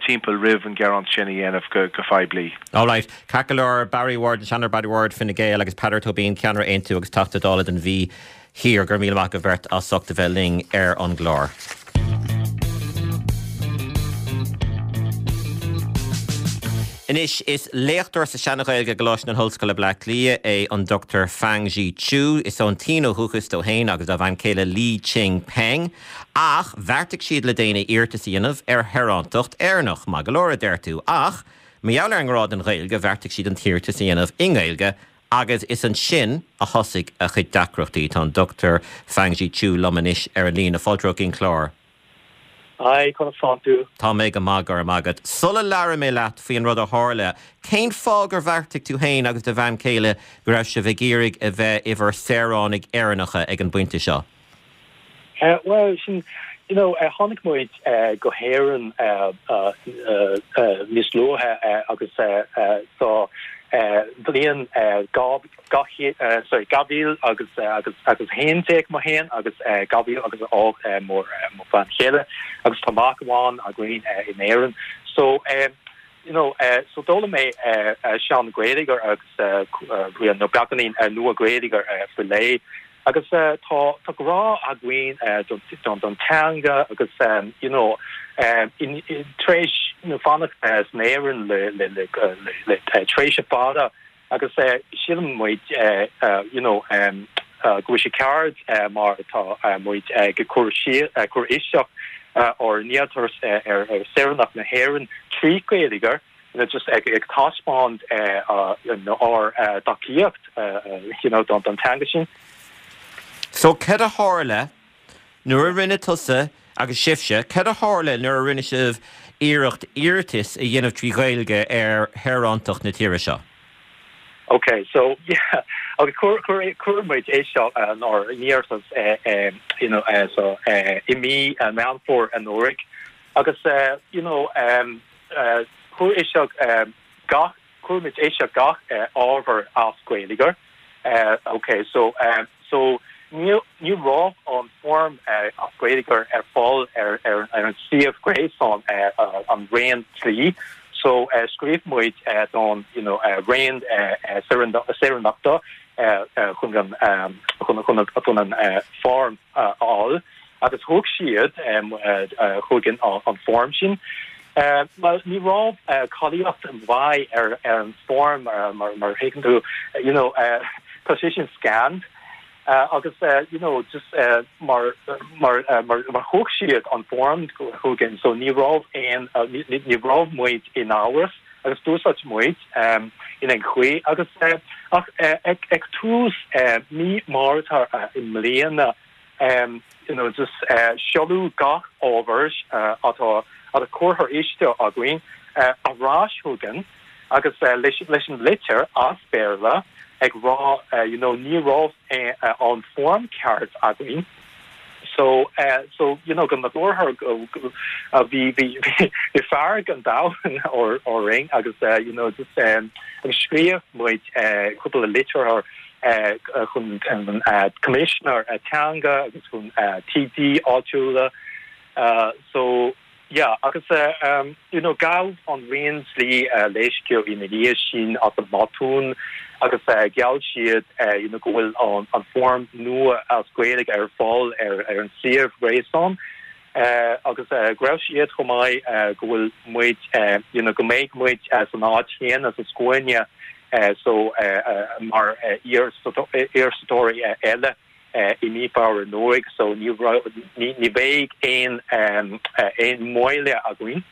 timpeall roimh an gearán sin a dhéanamh go go phoiblí. All right, ceart go leor Barry Ward, an Seanadóir Barry Ward Fine Gael agus Peadar Tóibín ceannaire Aontú agus Teachta Dála don Mhí Thiar go raibh míle maith agaibh beirt as ucht a bheith linn ar an gclár. Anois, is léachtóir sa Seana-Ghaeilge i gColáiste na hOllscoile Bleá Cliath é an Dochtúir Fang Zhi Chu. Is ón tSín ó dhúchas dó féin agus dá bhean chéile Li Qing Peng. Ach bheartaigh siad le déanaí iarratas a dhéanamh ar shaorántacht Éireannach. Maith go leor, a deir tú. Ach mar gheall ar an ngrá don Ghaeilge, bheartaigh siad an t-iarratas a dhéanamh i nGaeilge agus is ansin a thosaigh a chuid deacrachtaí. Tá an Dochtúir Fang Zhi Chu liom anois ar an líne. Fáilte romhat chuig an chlár. Hi, conas tánn tú? Tá mé go maith, go raibh maith agat. Sula labhraí mé leat faoin rud a tharla, cén fáth gur bheartaigh tú féin agus do bhean chéile go raibh sibh ag iarraidh a bheith i bhur saoránaigh Éireannacha ag an bpointe seo? Bhuel, sin, you know, tháinig muid go hÉirinn níos luaithe agus sa bhliain dhá sorry dhá mhíle agus agus agus haon déag mé féin agus dhá mhíle agus a hocht mo mo bhean chéile agus tá mac amháin againn in Éirinn. So you know, so d'fhoghlaim mé sean-Ghaeilge agus you know beagáinín nua-Ghaeilge faoi leith agus tá tá grá againn don don teanga agus you know in tar éis you know fanacht san Éirinn le le le le tréimhse fada agus sílim muid you know go bhfuil sé ceart mar atá muid ag cur cur isteach ár n-iarratas ar ar saoránacht na hÉireann trí Ghaeilge you know just ag ag taispeáint ár dtacaíocht you know don don teanga sin. So cad a tharla nuair a rinne tusa agus sibhse, cad a tharla nuair a rinne sibh iarracht iarratas a dhéanamh trí Ghaeilge ar shaorántacht na tíre seo? Okay, so yeah, okay, chuir chuir chuir muid isteach ár n-iarratas you know so i mí Meán Fómhair anuraidh agus you know um chuir isteach gach chuir muid isteach gach ábhar as Gaeilge. Okay, so so ní ní raibh an form as Gaeilge ar fáil ar ar ar an suíomh gréasáin an Roinn Dlí. So scríobh muid don you know Roinn Saoránachta chun an chun chun chun an form a fháil agus thug siad chugainn an form sin. Well ní raibh cáilíocht mhaith ar ar an form mar mar thuigeann tú you know tá sé sin scanned agus you know just mar mar mar mar thug siad an form chugainn so ní raibh aon ní raibh muid in amhras agus d'úsáid muid in aon chaoi agus ach ag ag tús mí Márta i mbliana you know just seoladh gach ábhar atá atá curtha isteach againn ar ais chugainn agus leis leis an litir as Béarla ag rá you know ní raibh an form ceart againn so so you know go nádúrtha bhí bhí bhí fearg an domhain orainn agus you know just agus scríobh muid cúpla litir chun an Coimisinéir Teanga agus chun TD áitiúla so yeah agus um you know gabh an Roinn Dlí leithscéal ina dhiaidh sin as an mbotún agus gheall siad you know go bhfuil an an form nua as Gaeilge ar fáil ar ar an suíomh gréasáin agus go raibh siad chomh maith go bhfuil muid you know go mbeidh muid san áit chéanna sa scuaine so mar iarratasóirí eile i mí Feabhra anuraidh so ní ní bheidh aon aon mhoill againn.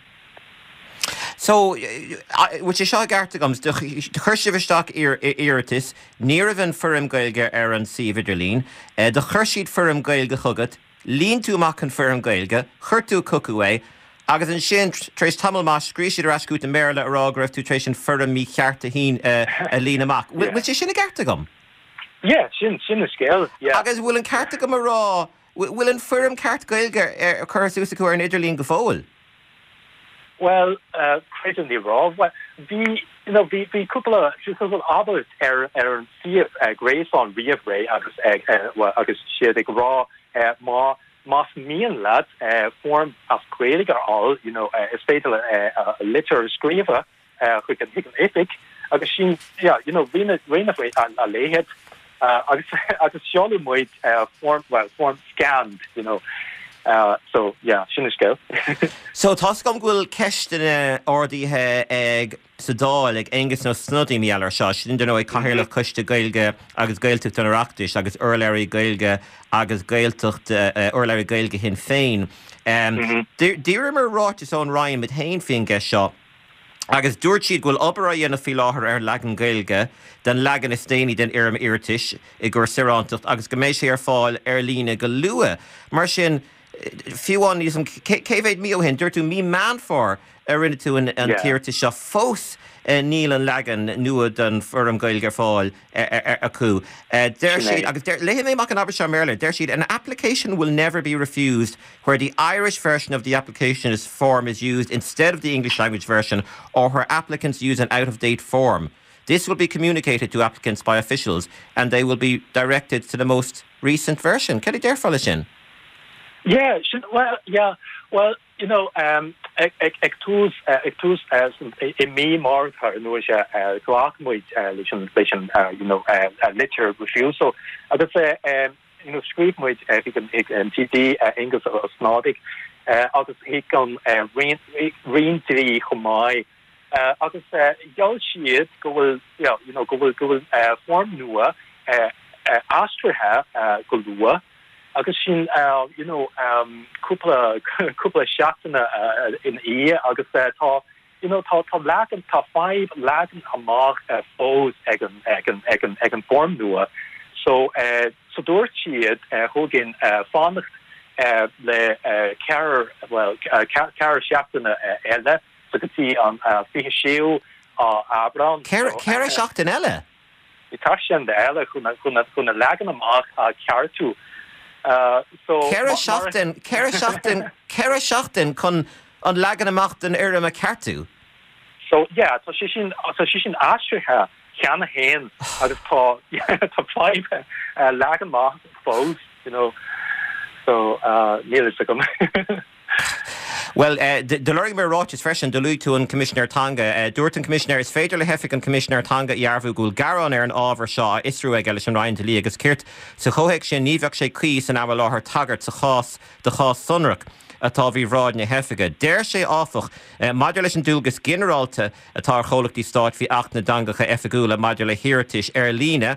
So bhfuil sé seo i gceart agam, do chuir sibh isteach iarratas, ní raibh an foirm Gaeilge ar an suíomh idirlín, do chuir siad foirm Gaeilge chugat, Líon tú amach an foirm Gaeilge, chuir tú chucu é, agus ansin tar éis tamall maith scríobh siad ar ais chugat i mBéarla a rá go raibh tú tar éis an foirm mícheart a shín a líon amach. Bhfuil sé sin i gceart agam? Yeah, sin sin an scéal, yeah. Agus bhfuil an ceart agam a rá, bhfuil an foirm ceart Gaeilge ar curtha suas acu ar an idirlíon go fóill? Bhuel, creidim ní raibh. Bhuel, bhí, you know, bhí, bhí cúpla, cúpla abairt ar, ar an suíomh gréasáin roimh ré agus, bhuel, agus siad ag rá má, más mian leat foirm as Gaeilge a fháil, you know, is féidir litir a scríobh chuig an, chuig an oifig agus sin, yeah, you know, rinne, rinne a leithéid agus, agus sheoladh muid foirm, well, foirm scanned, you know. So, yeah, sin an scéal. So, tá's agam go bhfuil ceisteanna ardaithe ag sa Dáil ag Aengus Ó Snodaigh mar gheall air seo, sin dar ndóigh Cathaoirleach Choiste Gaeilge agus Gaeltachta an Oireachtais agus urlabhraí Gaeilge agus Gaeltacht, urlabhraí Gaeilge Shinn Féin. D'iarramar ráiteas ón Roinn muid féin faoin gceist seo agus dúirt siad go bhfuil obair á dhéanamh faoi láthair ar an leagan Gaeilge den leagan is déanaí den fhoirm iarratais i gcomhair saorántacht agus go mbeidh sé ar fáil ar líne go luath. Mar sin, fiú amháin níos cé mhéad mí ó shin, dúirt tú mí Meán Fómhair a rinne tú an t-iarratas seo, fós níl an leagan nua den fhoirm Gaeilge ar fáil acu. Deir siad, agus léifidh mé amach an abairt seo i mBéarla, deir siad, an application will never be refused where the Irish version of the application is form is used instead of the English language version or where applicants use an out-of-date form. This will be communicated to applicants by officials and they will be directed to the most recent version. Cad a déarfá leis sin? Yeah, sin, well, yeah, well, you know, um, ag, ag, ag tús, ag tús i mí Márta nó sé ghlac muid leis an, leis an, you know, litir refusal agus um, you know, scríobh muid chuig an, chuig an TD Aengus Ó Snodaigh agus chuig an Roinn, Roinn Dlí chomh maith agus gheall siad go bhfuil, yeah, you know, go bhfuil, go bhfuil foirm nua aistrithe go luath agus sin you know um cúpla cúpla seachtaine ina dhiaidh agus tá you know tá tá leagan tá fadhb leagan amach fós ag an ag an ag an ag an foirm nua so so dúirt siad chugainn fanacht le ceathair well ceathair seachtaine eile so go dtí an fiche séú Aibreán. Ceithre seachtain eile? Tá sin eile chun chun an leagan amach a cheartú. So Ceithre seachtain ceithre seachtain ceithre seachtain chun an leagan amach den fhoirm a cheartú? So yeah, tá sé sin tá sé sin aistrithe cheana féin agus tá tá fadhb leagan amach fós, you know. So níl a fhios agam. Well, do lorg mé ráiteas freisin do luaigh tú an Coimisinéir Teanga. Dúirt an Coimisinéir is féidir le hOifig an Choimisinéir Teanga a dhearbhú go bhfuil gearán ar an ábhar seo á fhiosrú aige leis an Roinn Dlí agus Cirt. Sa chomhthéacs sin ní bheadh sé cuí san am i láthair tagairt sa chás do chás sonrach atá faoi bhráid na hoifige. Deir sé áfach, maidir leis an dualgas ginearálta atá ar chomhlachtaí stáit faoi Acht na dTeangacha Oifigiúla maidir le hiarratais ar líne,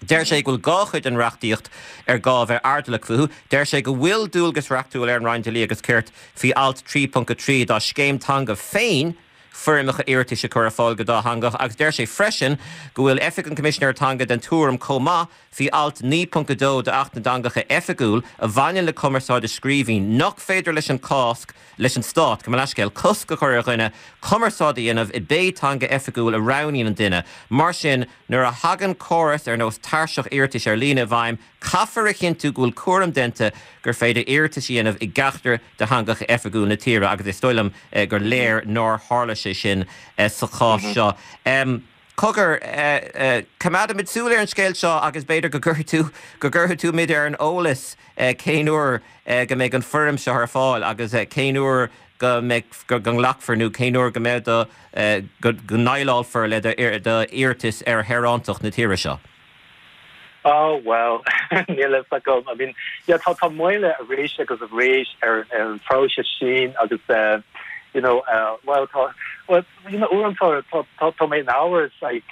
Deir sé go bhfuil dhá chuid den reachtaíocht ar gá bheith airdeallach fúthu. Deir sé go bhfuil dualgas reachtúil ar an Roinn Dlí agus Cirt faoi alt trí ponc a trí dá scéim teanga féin foirmeacha iarratais a chur ar fáil go dátheangach agus deir sé freisin go bhfuil Oifig an Choimisinéir Teanga den tuairim chomh maith faoi alt naoi ponc a dó d'Acht na dTeangacha Oifigiúil a bhaineann le cumarsáid i scríbhinn nach féidir leis an cás leis an Stát, gabh mo leithscéal, cosc a chur ar dhuine cumarsáid a dhéanamh i bpé teanga oifigiúil a roghnaíonn an duine. Mar sin, nuair a thagann córas ar nós tairseach iarratais ar líne i bhfeidhm, caithfear a chinntiú go bhfuil cúram déanta gur féidir iarratais a dhéanamh i gceachtar de theangacha oifigiúil na tíre agus is dóigh liom gur léir nár tharla sé sin sa chás seo. Cogar, coimeádfaimid súil ar an scéal seo agus b'fhéidir go gcuirfidh tú, go gcuirfidh tú muid ar an eolas cén uair go mbeidh an foirm seo ar fáil agus cén uair go mbeidh, go nglacfar nó cén uair go mbeidh do, go ndéileálfar le d'iarratas ar shaorántacht na tíre seo. Oh, well, níl a fhios agam. I mean, yeah, tá tá moill arís agus arís ar ar an phróiseas sin agus uh, you know, uh, well, tá well, you know, uaireanta tá tá tá mé in amhras like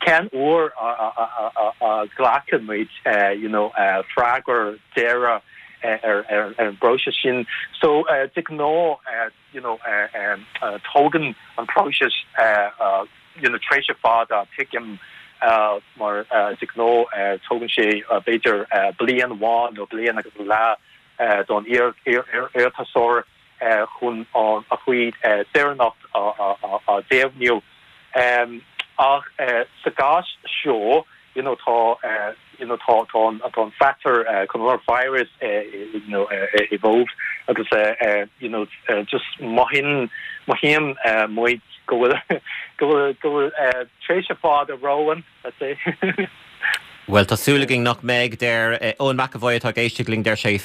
cén uair a a a a a ghlacann muid uh, you know, uh, freagra deireadh ar ar ar an bpróiseas sin. So uh, de ghnáth uh, you know, uh, um, uh, tógann an próiseas uh, uh, you know, tréimhse fada tuigim mar de ghnáth tógann sé b'fhéidir bliain amháin nó bliain agus leath don iarratasóir chun a chuid saoránacht a dheimhniú. Ach sa gcás seo you know tá you know tá tá tá an factor coronavirus you know involved agus you know just mothaíonn mothaíonn muid go bhfuil go bhfuil go bhfuil tréimhse fada romhainn let's say. Bhuel tá súil againn nach mbeidh deir Eoin McAvoy atá ag éisteacht linn deir sé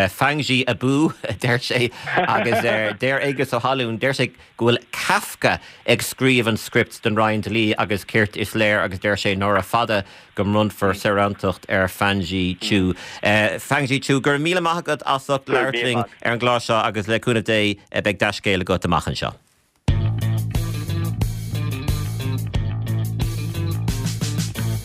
Fangji abú deir sé agus deir Aengus Ó hAlún deir sé go bhfuil Kafka ag scríobh an script don Roinn Dlí agus Cirt is léir agus deir sé nára fada go mbronnfar saorántacht ar Fangji Chu. Fangji Chu gur míle maith agat as ucht labhairt linn ar an gclár seo agus le cúnamh Dé beidh dea-scéal agat amach anseo.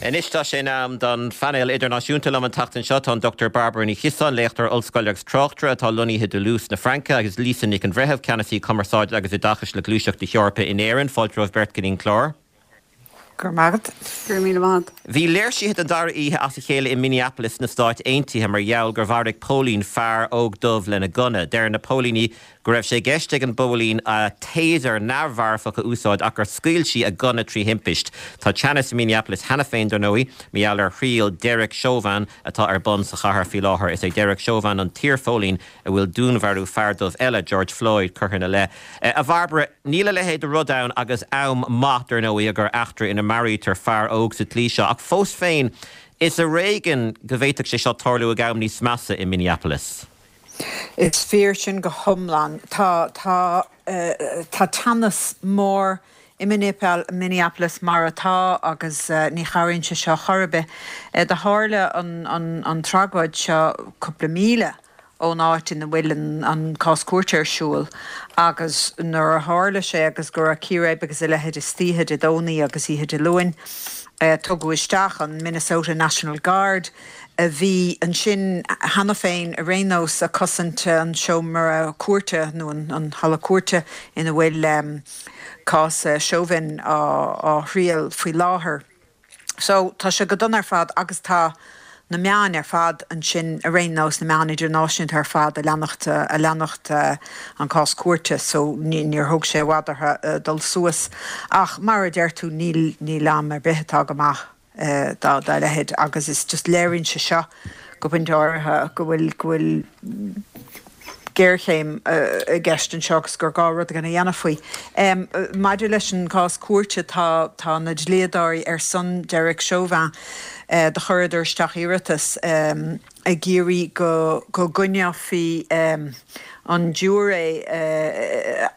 Anois tá sé in am don phainéal idirnáisiúnta liom an tseachtain seo tá an Dr Barbara Ní Chiosáin, léachtóir ollscoile agus tráchtaire atá lonnaithe i Dtúlús na Fraince agus Lisa Nic an Bhreithimh, ceannasaí cumarsáide agus oideachais le Gluaiseacht na hEorpa in Éirinn, fáilte romhaibh beirt go dtí an clár. Go raibh maith agat. Go raibh míle maith agat. Bhí léirsithe den dara oíche as a chéile i Minneapolis sna Stáit Aontaithe mar gheall gur mharaigh póilín fear óg dubh lena gunna. Deir na póilíní go raibh sé i gceist ag an bpóilín a taser neamh-mharfach a úsáid ach gur scaoil sí a gunna trí thimpist. Tá teannas i Minneapolis cheana féin dar ndóigh, mar gheall ar thriail Derek Chauvin atá ar bun sa chathair faoi láthair. Is é Derek Chauvin an t-iarphóilín a bhfuil dúnmharú fear dubh eile, George Floyd, curtha ina leith. A Bharbara, níl a leithéid de rud ann agus am maith dar ndóigh gur eachtra ina maraítear fear óg sa tslí seo, ach fós féin is ar éigean go bhféadfadh sé seo tarlú ag am níos measa i Minneapolis. Is fíor sin go hiomlán. Tá tá tá teannas mór i Minneapolis mar atá agus ní chabhraíonn sé seo chor ar bith. Do tharla an an an tragóid seo cúpla míle ón áit ina bhfuil an, an cás cúirte ar siúl agus nuair a tharla sé agus go raibh círéib agus a leithéid istoíche Dé Domhnaigh agus oíche Dé Luain, eh, tugadh isteach an Minnesota National Guard a bhí ansin cheana féin ar aon nós ag cosaint an seomra cúirte nó an, an halla cúirte ina bhfuil um, cás uh, Chauvin á, á thriail faoi láthair. So tá sé go dona ar fad agus tá na meáin ar fad ansin ar aon nós na meáin idirnáisiúnta ar fad ag leanacht ag leanacht an cás cúirte so níor thóg sé i bhfad orthu dul suas ach mar a deir tú níl níl am ar bith atá go maith dá dá leithéid agus is just léiríonn sé seo go pointe áirithe go bhfuil go bhfuil géarchéim i gceist anseo agus gur gá rud éigin a dhéanamh faoi. Maidir leis an cás cúirte tá tá na dlíodóirí ar son Derek Chauvin do chuireadar isteach iarratas ag iarraidh go go gcoinneofaí an giúiré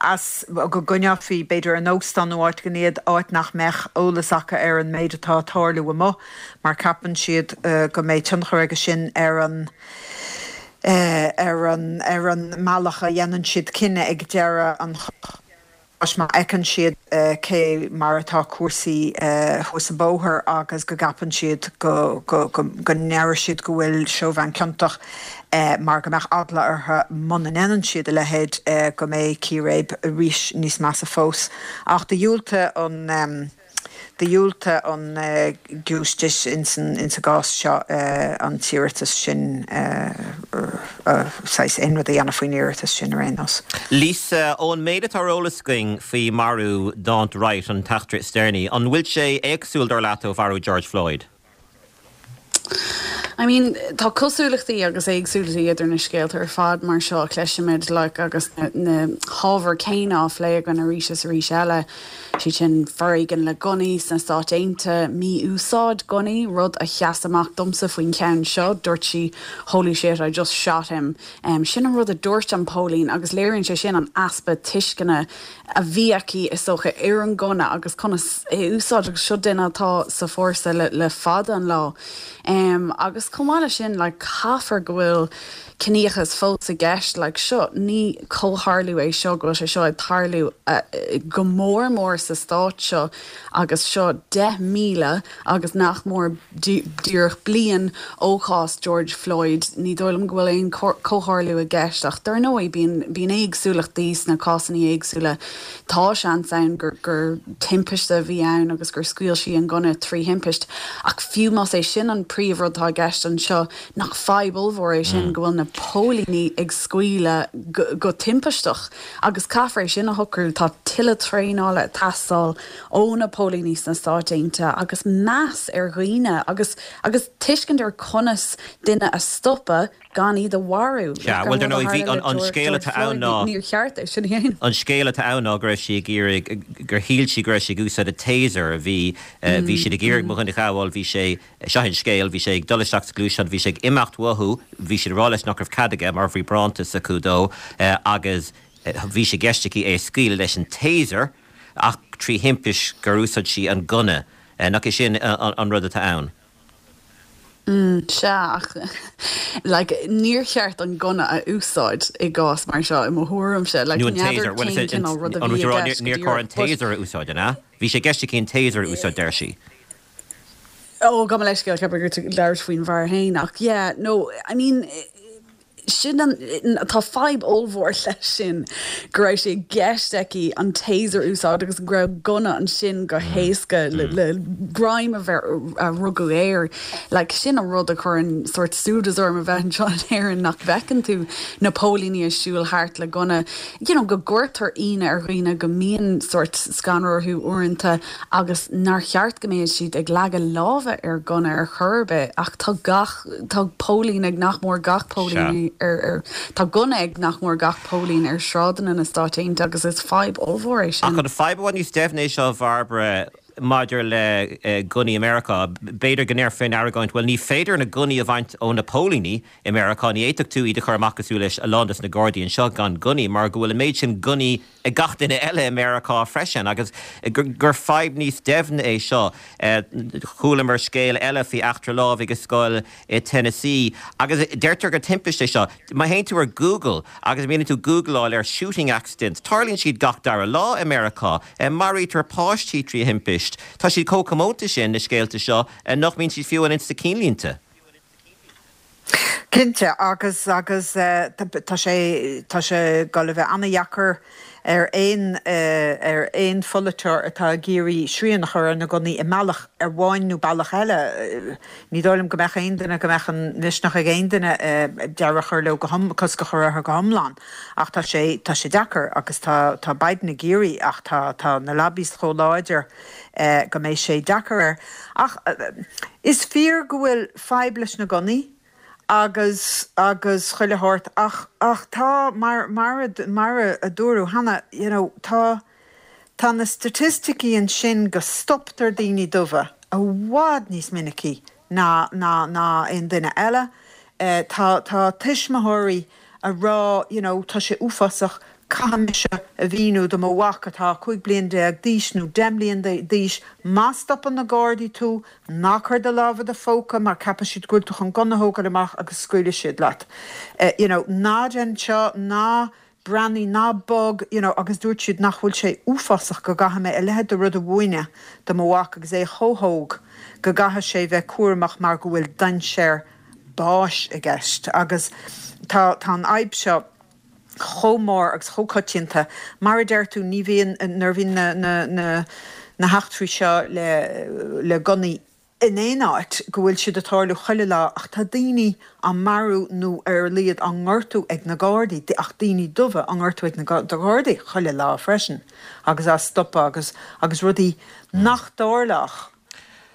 as go gcoinneofaí b'fhéidir in óstán nó áit éigin iad áit nach mbeadh eolas acu ar an méid atá ag tarlú amuigh mar ceapann siad go mbeidh tionchar aige sin ar an ar an ar an mbealach a dhéanann siad cinneadh ag deireadh an cháis má fheiceann siad cé mar atá cúrsaí thuas an bóthar agus go gceapann siad go go go go ndéarfaidh siad go bhfuil Chauvin ciontach mar go mbeadh eagla orthu muna ndéanann siad a leithéid go mbeidh círéib arís níos measa fós. Ach do dhiúltaigh an Do dhiúltaigh an giúistis ins an gcás seo an t-iarratas sin, saghas aon rud a dhéanamh faoin iarratas sin ar aon nós. Lisa, ón méid atá ar eolas againn faoi mharú Daunte Wright, an t-eachtra is deireanaí, an bhfuil sé éagsúil dar leat ó mharú George Floyd? I mean, tá cosúlachtaí agus éagsúlachtaí idir na scéalta ar fad mar seo a chloisimid like, agus na, na hábhair céanna á phlé againn arís is arís eile, siad sin foréigean le gunnaí sna Stáit Aontaithe, mí-úsáid gunnaí, rud a sheas amach domsa faoin cheann seo, dúirt sí holy shit, I just shot him. Um, sin an rud a dúirt an póilín agus léiríonn sé sin an easpa tuisceana a bhí aici is dócha ar an ngunna agus conas é a úsáid agus seo duine atá sa fórsa le, le fada an lá. Um, agus Agus chomh maith leis sin, like, caithfear go bhfuil ciníochas fós i gceist, like, seo, ní comhtharlú é seo go bhfuil sé seo ag tarlú uh, go mór mór sa stát seo agus seo deich míle agus nach mór díreach bliain ó chás George Floyd. Ní dóigh liom go bhfuil aon comhtharlú i gceist ach dar ndóigh bíonn bíonn éagsúlachtaí sna cásanna éagsúla. Tá seans ann gur gur timpiste a bhí ann agus gur scaoil sí an gunna trí thimpist. Ach fiú más é sin an príomhrud atá i gceist anseo nach fadhb ollmhór é sin go bhfuil na póilíní ag scaoileadh go, go timpisteach agus caithfear é sin a shocrú tá tuilleadh traenála ag teastáil ó na póilíní sna Stáit Aontaithe agus meas ar dhaoine agus agus tuiscint ar conas duine a stopadh gan iad a mharú. Sea, bhuel, dar ndóigh, bhí an, an scéal atá ann ná Níor cheart é sin a dhéanamh. An scéal atá ann ná go raibh sí ag iarraidh, gur shíl sí go raibh sí ag úsáid a taser, bhí, bhí siad ag iarraidh mo dhuine a ghabháil, bhí sé, seo an scéal, bhí sé ag dul isteach sa ghluaisteán, bhí sé ag imeacht uathu, bhí siad ag rá leis nach raibh cead aige mar bhí barántas acu dó agus bhí sé i gceist aici é a scaoileadh leis an taser ach trí thimpist gur úsáid sí an gunna. Nach é sin an rud atá ann? Mm, sea, ach like, níor cheart an gunna a úsáid i gcás mar seo i mo thuairimse. Like, Nó an taser, bhuel, is é, an, an rud a rá, níor chóir an taser a úsáid, an ea? Bhí sé i gceist aici an taser a úsáid, deir sí. Ó, gabh mo leithscéal, ceapaim gur tú ag labhairt faoin bhfear féin, ach yeah, no, I mean, sin an, tá fadhb ollmhór leis sin, go raibh sé i gceist aici an taser a úsáid agus go raibh gunna ansin go héasca le, le greim a bheith, a rugadh air. Like, sin an rud a chuireann sort súdas orm a bheith anseo in Éirinn nach bhfeiceann tú na póilíní ag siúl thart le gunna, you know, go gcuirtear ionadh ar dhaoine, go mbíonn sort scanradh orthu uaireanta agus nár cheart go mbeadh siad ag leagadh láimhe ar gunna ar chor ar bith ach tá gach, tá póilín ag nach mór gach póilín ar, ar, tá gunna ag nach mór gach póilín ar shráideanna na Stáit Aontaithe agus is fadhb ollmhór é sin. Ach an fadhb i bhfad níos doimhne é seo, a Bhairbre, maidir le gunnaí i Meiriceá. B'fhéidir go ndéarfaí an argóint, bhuel ní féidir na gunnaí a bhaint ó na póilíní i Meiriceá, ní fhéadfadh tú iad a chur amach cosúil leis a lán dos na Gardaí anseo gan gunnaí mar go bhfuil an méid sin gunnaí ag gach duine eile i Meiriceá freisin agus gur fadhb níos doimhne é seo. Chualamar scéal eile faoi eachtra lámhaigh i scoil i Tennessee agus deirtear gur timpiste é seo. Má théann tú ar Google agus mbíonn tú googleáil ar shooting accidents, tarlaíonn siad gach dara lá i Meiriceá. Maraítear páistí trí thimpist. Tá siad chomh comónta sin, na scéalta seo, nach mbíonn siad fiú ins na cinnlínte. Cinnte, agus agus tá sé tá sé ag dul a bheith an-dheacair ar aon ar aon pholaiteoir atá ag iarraidh srian a chur ar na gunnaí i mbealach amháin nó bealach eile. Ní dóigh liom go mbeadh aon duine go mbeadh an misneach ag aon duine deireadh a chur leo go hiom cosc a chur orthu go hiomlán. Ach tá sé tá sé deacair agus tá tá Biden ag iarraidh ach tá tá na lobbies chomh láidir go mbeidh sé deacair air. Ach is fíor go bhfuil fadhb leis na gunnaí agus agus chuile shórt ach ach tá mar mar a mar a dúradh cheana you know tá tá na staitisticí ansin go stoptar daoine dubha i bhfad níos minicí ná ná ná aon duine eile. Tá tá tuismitheoirí a rá you know tá sé uafásach Caithfidh mise a mhíniú do mo mhac atá cúig bliain déag d'aois nó deich mbliana d'aois, má stopann na Gardaí tú, ná cuir do lámh i do phóca mar ceapfaidh siad go bhfuil tú chun gunna a thógáil amach agus scaoilfidh siad leat. You know, ná déan seo, ná breathnaigh, ná bog, you know, agus dúirt siad nach bhfuil sé uafásach go gcaithfidh mé a leithéid de rud a mhúineadh do mo mhac agus é chomh hóg, go gcaithfidh sé bheith cúramach mar go bhfuil dainséar báis i gceist. Agus tá, tá an fhadhb seo. chomh mór agus chomh coitianta. Mar a deir tú, ní bhíonn, nuair a bhíonn na, na, na, na heachtraí seo le, le gunnaí in aon áit, go bhfuil siad ag tarlú chuile lá ach tá daoine á marú nó ar a laghad á ngortú ag na Gardaí, ach daoine dubha á ngortú ag na Gardaí chuile lá freisin agus á stopadh agus, agus rudaí nach dtarlódh.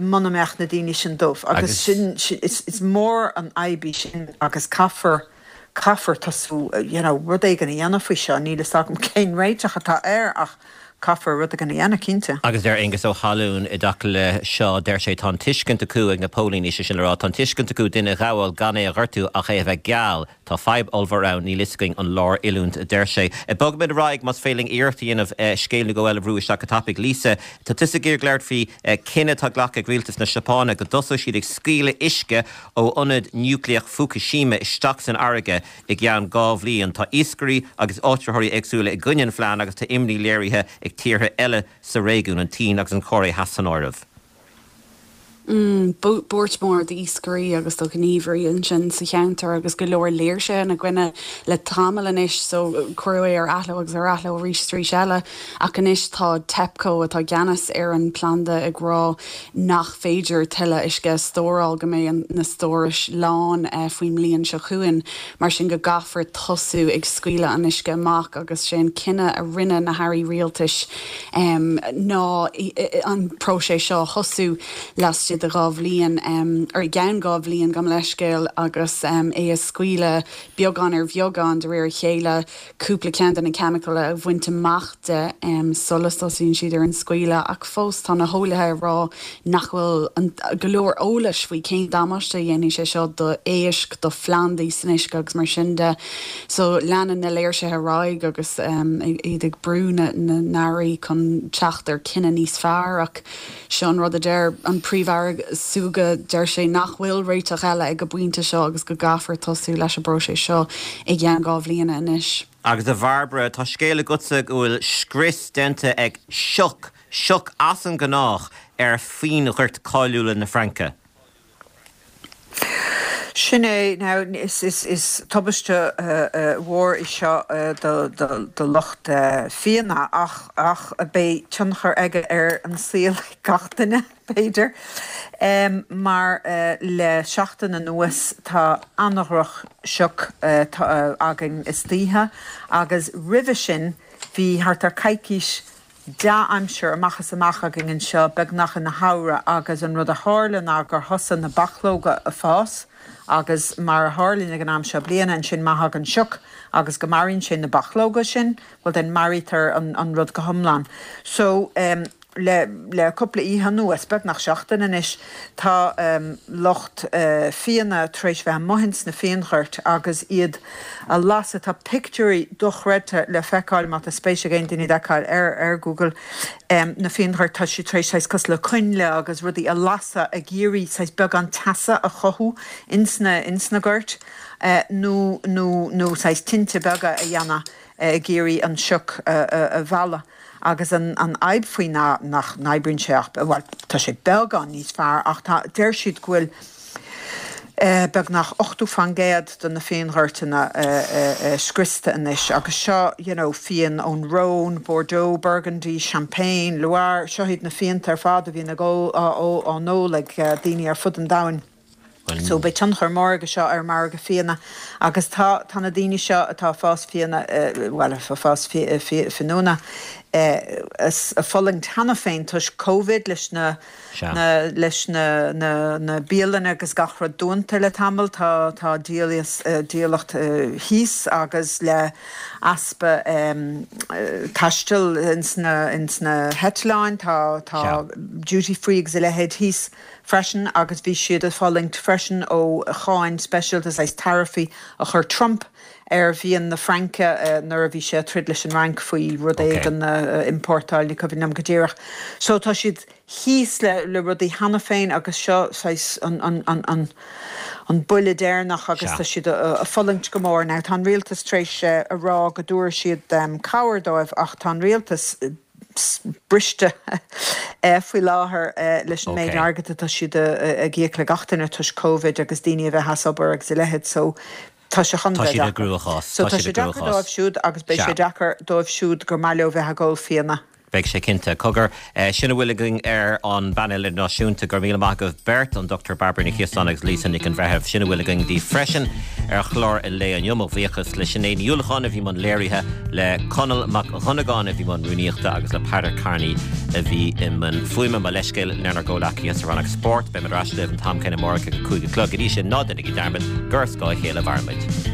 muna mbeadh na daoine sin dubh agus sin, is mór an fhadhb í sin agus caithfear, caithfear tosú, you know, rud éigin a dhéanamh faoi seo, níl fhios agam cén réiteach atá air ach Caithfear rud éigin a dhéanamh, cinnte. Agus deir Aengus Ó hAlúin i dtaca le seo, deir sé, tá an tuiscint acu ag na póilíní, sé sin le rá, tá an tuiscint acu duine a ghabháil gan é a ghortú ach é a bheith geal. Tá fadhb ollmhór ann, níl fhios againn an lár-oiliúint, a deir sé. Bogfaimid ar aghaidh, más féidir linn iarracht a dhéanamh scéal nó dhó eile a bhrú isteach go tapaidh. Lisa, tá tusa ag iarraidh labhairt faoi cinneadh atá glactha ag rialtas na Seapáine go dtosóidh siad ag scaoileadh uisce ó ionad núicléach Fukushima isteach san fharraige i gceann dhá bhliain. Tá iascairí agus áitritheoirí éagsúla i gcoinne an phlean agus tá imní léirithe ag tíortha eile sa réigiún, an tSín agus an Chóiré Theas san áireamh. Buairt mhór d'iascairí agus do ghníomhairí ansin sa cheantar agus go leor léirsithe ina gcoinne le tamall anois so cuireadh é ar athló agus ar athló arís is arís eile ach anois tá TEPCO atá i gceannas ar an phlanda ag rá nach féidir tuilleadh uisce a stóráil go mbeidh na stórais lán faoin mbliain seo chugainn mar sin go gcaithfear tosú ag scaoileadh an uisce amach agus sé an cinneadh a rinne na hairí rialtais ná an próiseas seo a thosú laistigh de dhá bhliain, or i gceann dhá bhliain, gabh mo leithscéal, agus é a scaoileadh beagán ar bheagán de réir a chéile, cúpla ceann de na ceimiceáin a bhaint amach de sula dtosaíonn siad ar an scaoileadh. Ach fós tá na heolaithe ag rá nach bhfuil go leor eolais faoi cén damáiste a dhéanfaidh sé seo do éisc, do phlandaí san uisce agus mar sin de. So leanann na léirsithe ar aghaidh agus iad ag brú na n-airí chun teacht ar chinneadh níos fearr ach seo an rud a deir an Príomh-Aire Suga, deir sé nach bhfuil réiteach eile ag an bpointe seo agus go gcaithfear tosú leis an bpróiseas seo i gceann dhá bhliana anois. Agus a Bhairbre, tá scéal agatsa go bhfuil scrios déanta ag sioc, sioc as an ngnách ar fíonghoirt cáiliúla na Fraince. Sin é, now is is is tubaiste mhór í seo do do do lucht fíona ach ach beidh tionchar aige ar an saol gach duine, b'fhéidir. Mar le seachtain anuas tá an-dhroch sioc againn istoíche agus roimhe sin bhí thart ar coicís dea-aimsir amach is amach againn anseo beagnach ina shamhradh agus an rud a tharla ná gur thosaigh na bachlóga a fás agus mar a tharlaíonn ag an am seo bliana ansin má thagann sioc agus go maraíonn sé na bachlóga sin, bhuel then maraítear an an rud go hiomlán. So um le le cúpla oíche anuas, beagnach seachtain anois, tá lucht fíona tar éis bheith amuigh ins na fíonghoirt agus iad a lasadh. Tá pictiúirí dochreidte le feiceáil, má tá spéis ag aon duine iad a fheiceáil, ar ar Google, na fíonghoirt. Tá siad tar éis saghas cosúil le coinnle agus rudaí a lasadh ag iarraidh saghas beagán teasa a chothú ins na ins na goirt nó nó nó saghas tinte beaga a dhéanamh ag iarraidh an sioc a mhealladh. Agus an an fhadhb faoi ná nach n-oibríonn sé ach, bhuel, tá sé beagán níos fearr ach tá, deir siad go bhfuil beagnach ochtó faoin gcéad de na fíonghoirteanna scriosta anois agus seo, you know, fíon ón Rhône, Bordeaux, Burgundy, Champagne, Loire, seo iad na fíonta ar fad a bhíonn ag ól, á n-ól ag daoine ar fud an domhain. So beidh tionchar mór aige seo ar an margadh fíona agus tá tá na daoine seo atá ag fás fíona, bhuel ag fás fíniúna, ag fulaingt cheana féin toisc Covid leis na na leis na na na bialanna agus gach rud dúnta le tamall, tá tá díolaíocht thíos agus le easpa taistil ins na ins na heitleáin tá tá duty free agus a leithéid thíos. freisin agus bhí siad ag fulaingt freisin ó cháin speisialta, saghas taraifí a chuir Trump ar fhíon na Fraince nuair a bhí sé ag troid leis an Fhrainc faoi rud éigin a iompórtáil, ní cuimhin liom go díreach. So tá siad thíos le le rudaí cheana féin agus seo saghas an an an an an buille deireanach agus tá siad ag fulaingt go mór. Now tá an rialtas tar éis a rá go dtabharfaidh siad cabhair dóibh ach tá an rialtas briste faoi láthair leis an méid airgid atá siad ag íoc le gach duine toisc Covid agus daoine a bheith as obair agus a leithéid so tá sé chun bheith deacair. So tá sé deacair dóibh siúd agus beidh sé deacair dóibh siúd gur maith leo bheith ag ól fíona. Beidh sé cinnte. Cogar, sin a bhfuil againn ar an bpainéal idirnáisiúnta. Go raibh míle maith agaibh beirt, an Dochtúir Bairbre Ní Chiosáin agus Lisa Nic an Bhreithimh. Sin a bhfuil againn daoibh freisin ar chlár an lae inniu. Mo bhuíochas le Sinéad Ní Uallacháin a bhí i mbun léirithe, le Conall Mac Dhonnagáin a bhí i mbun rúnaíochta agus le Peadar Kearney a bhí i mbun fuaime. Mo leithscéal lenár gcomhleacaithe sa rannóg spóirt. Beimid ar ais libh an t-am céanna amárach ag a cúig a chlog. Go dtí sin, ná déanaigí dearmad gur ar scáth a chéile a mhairimid.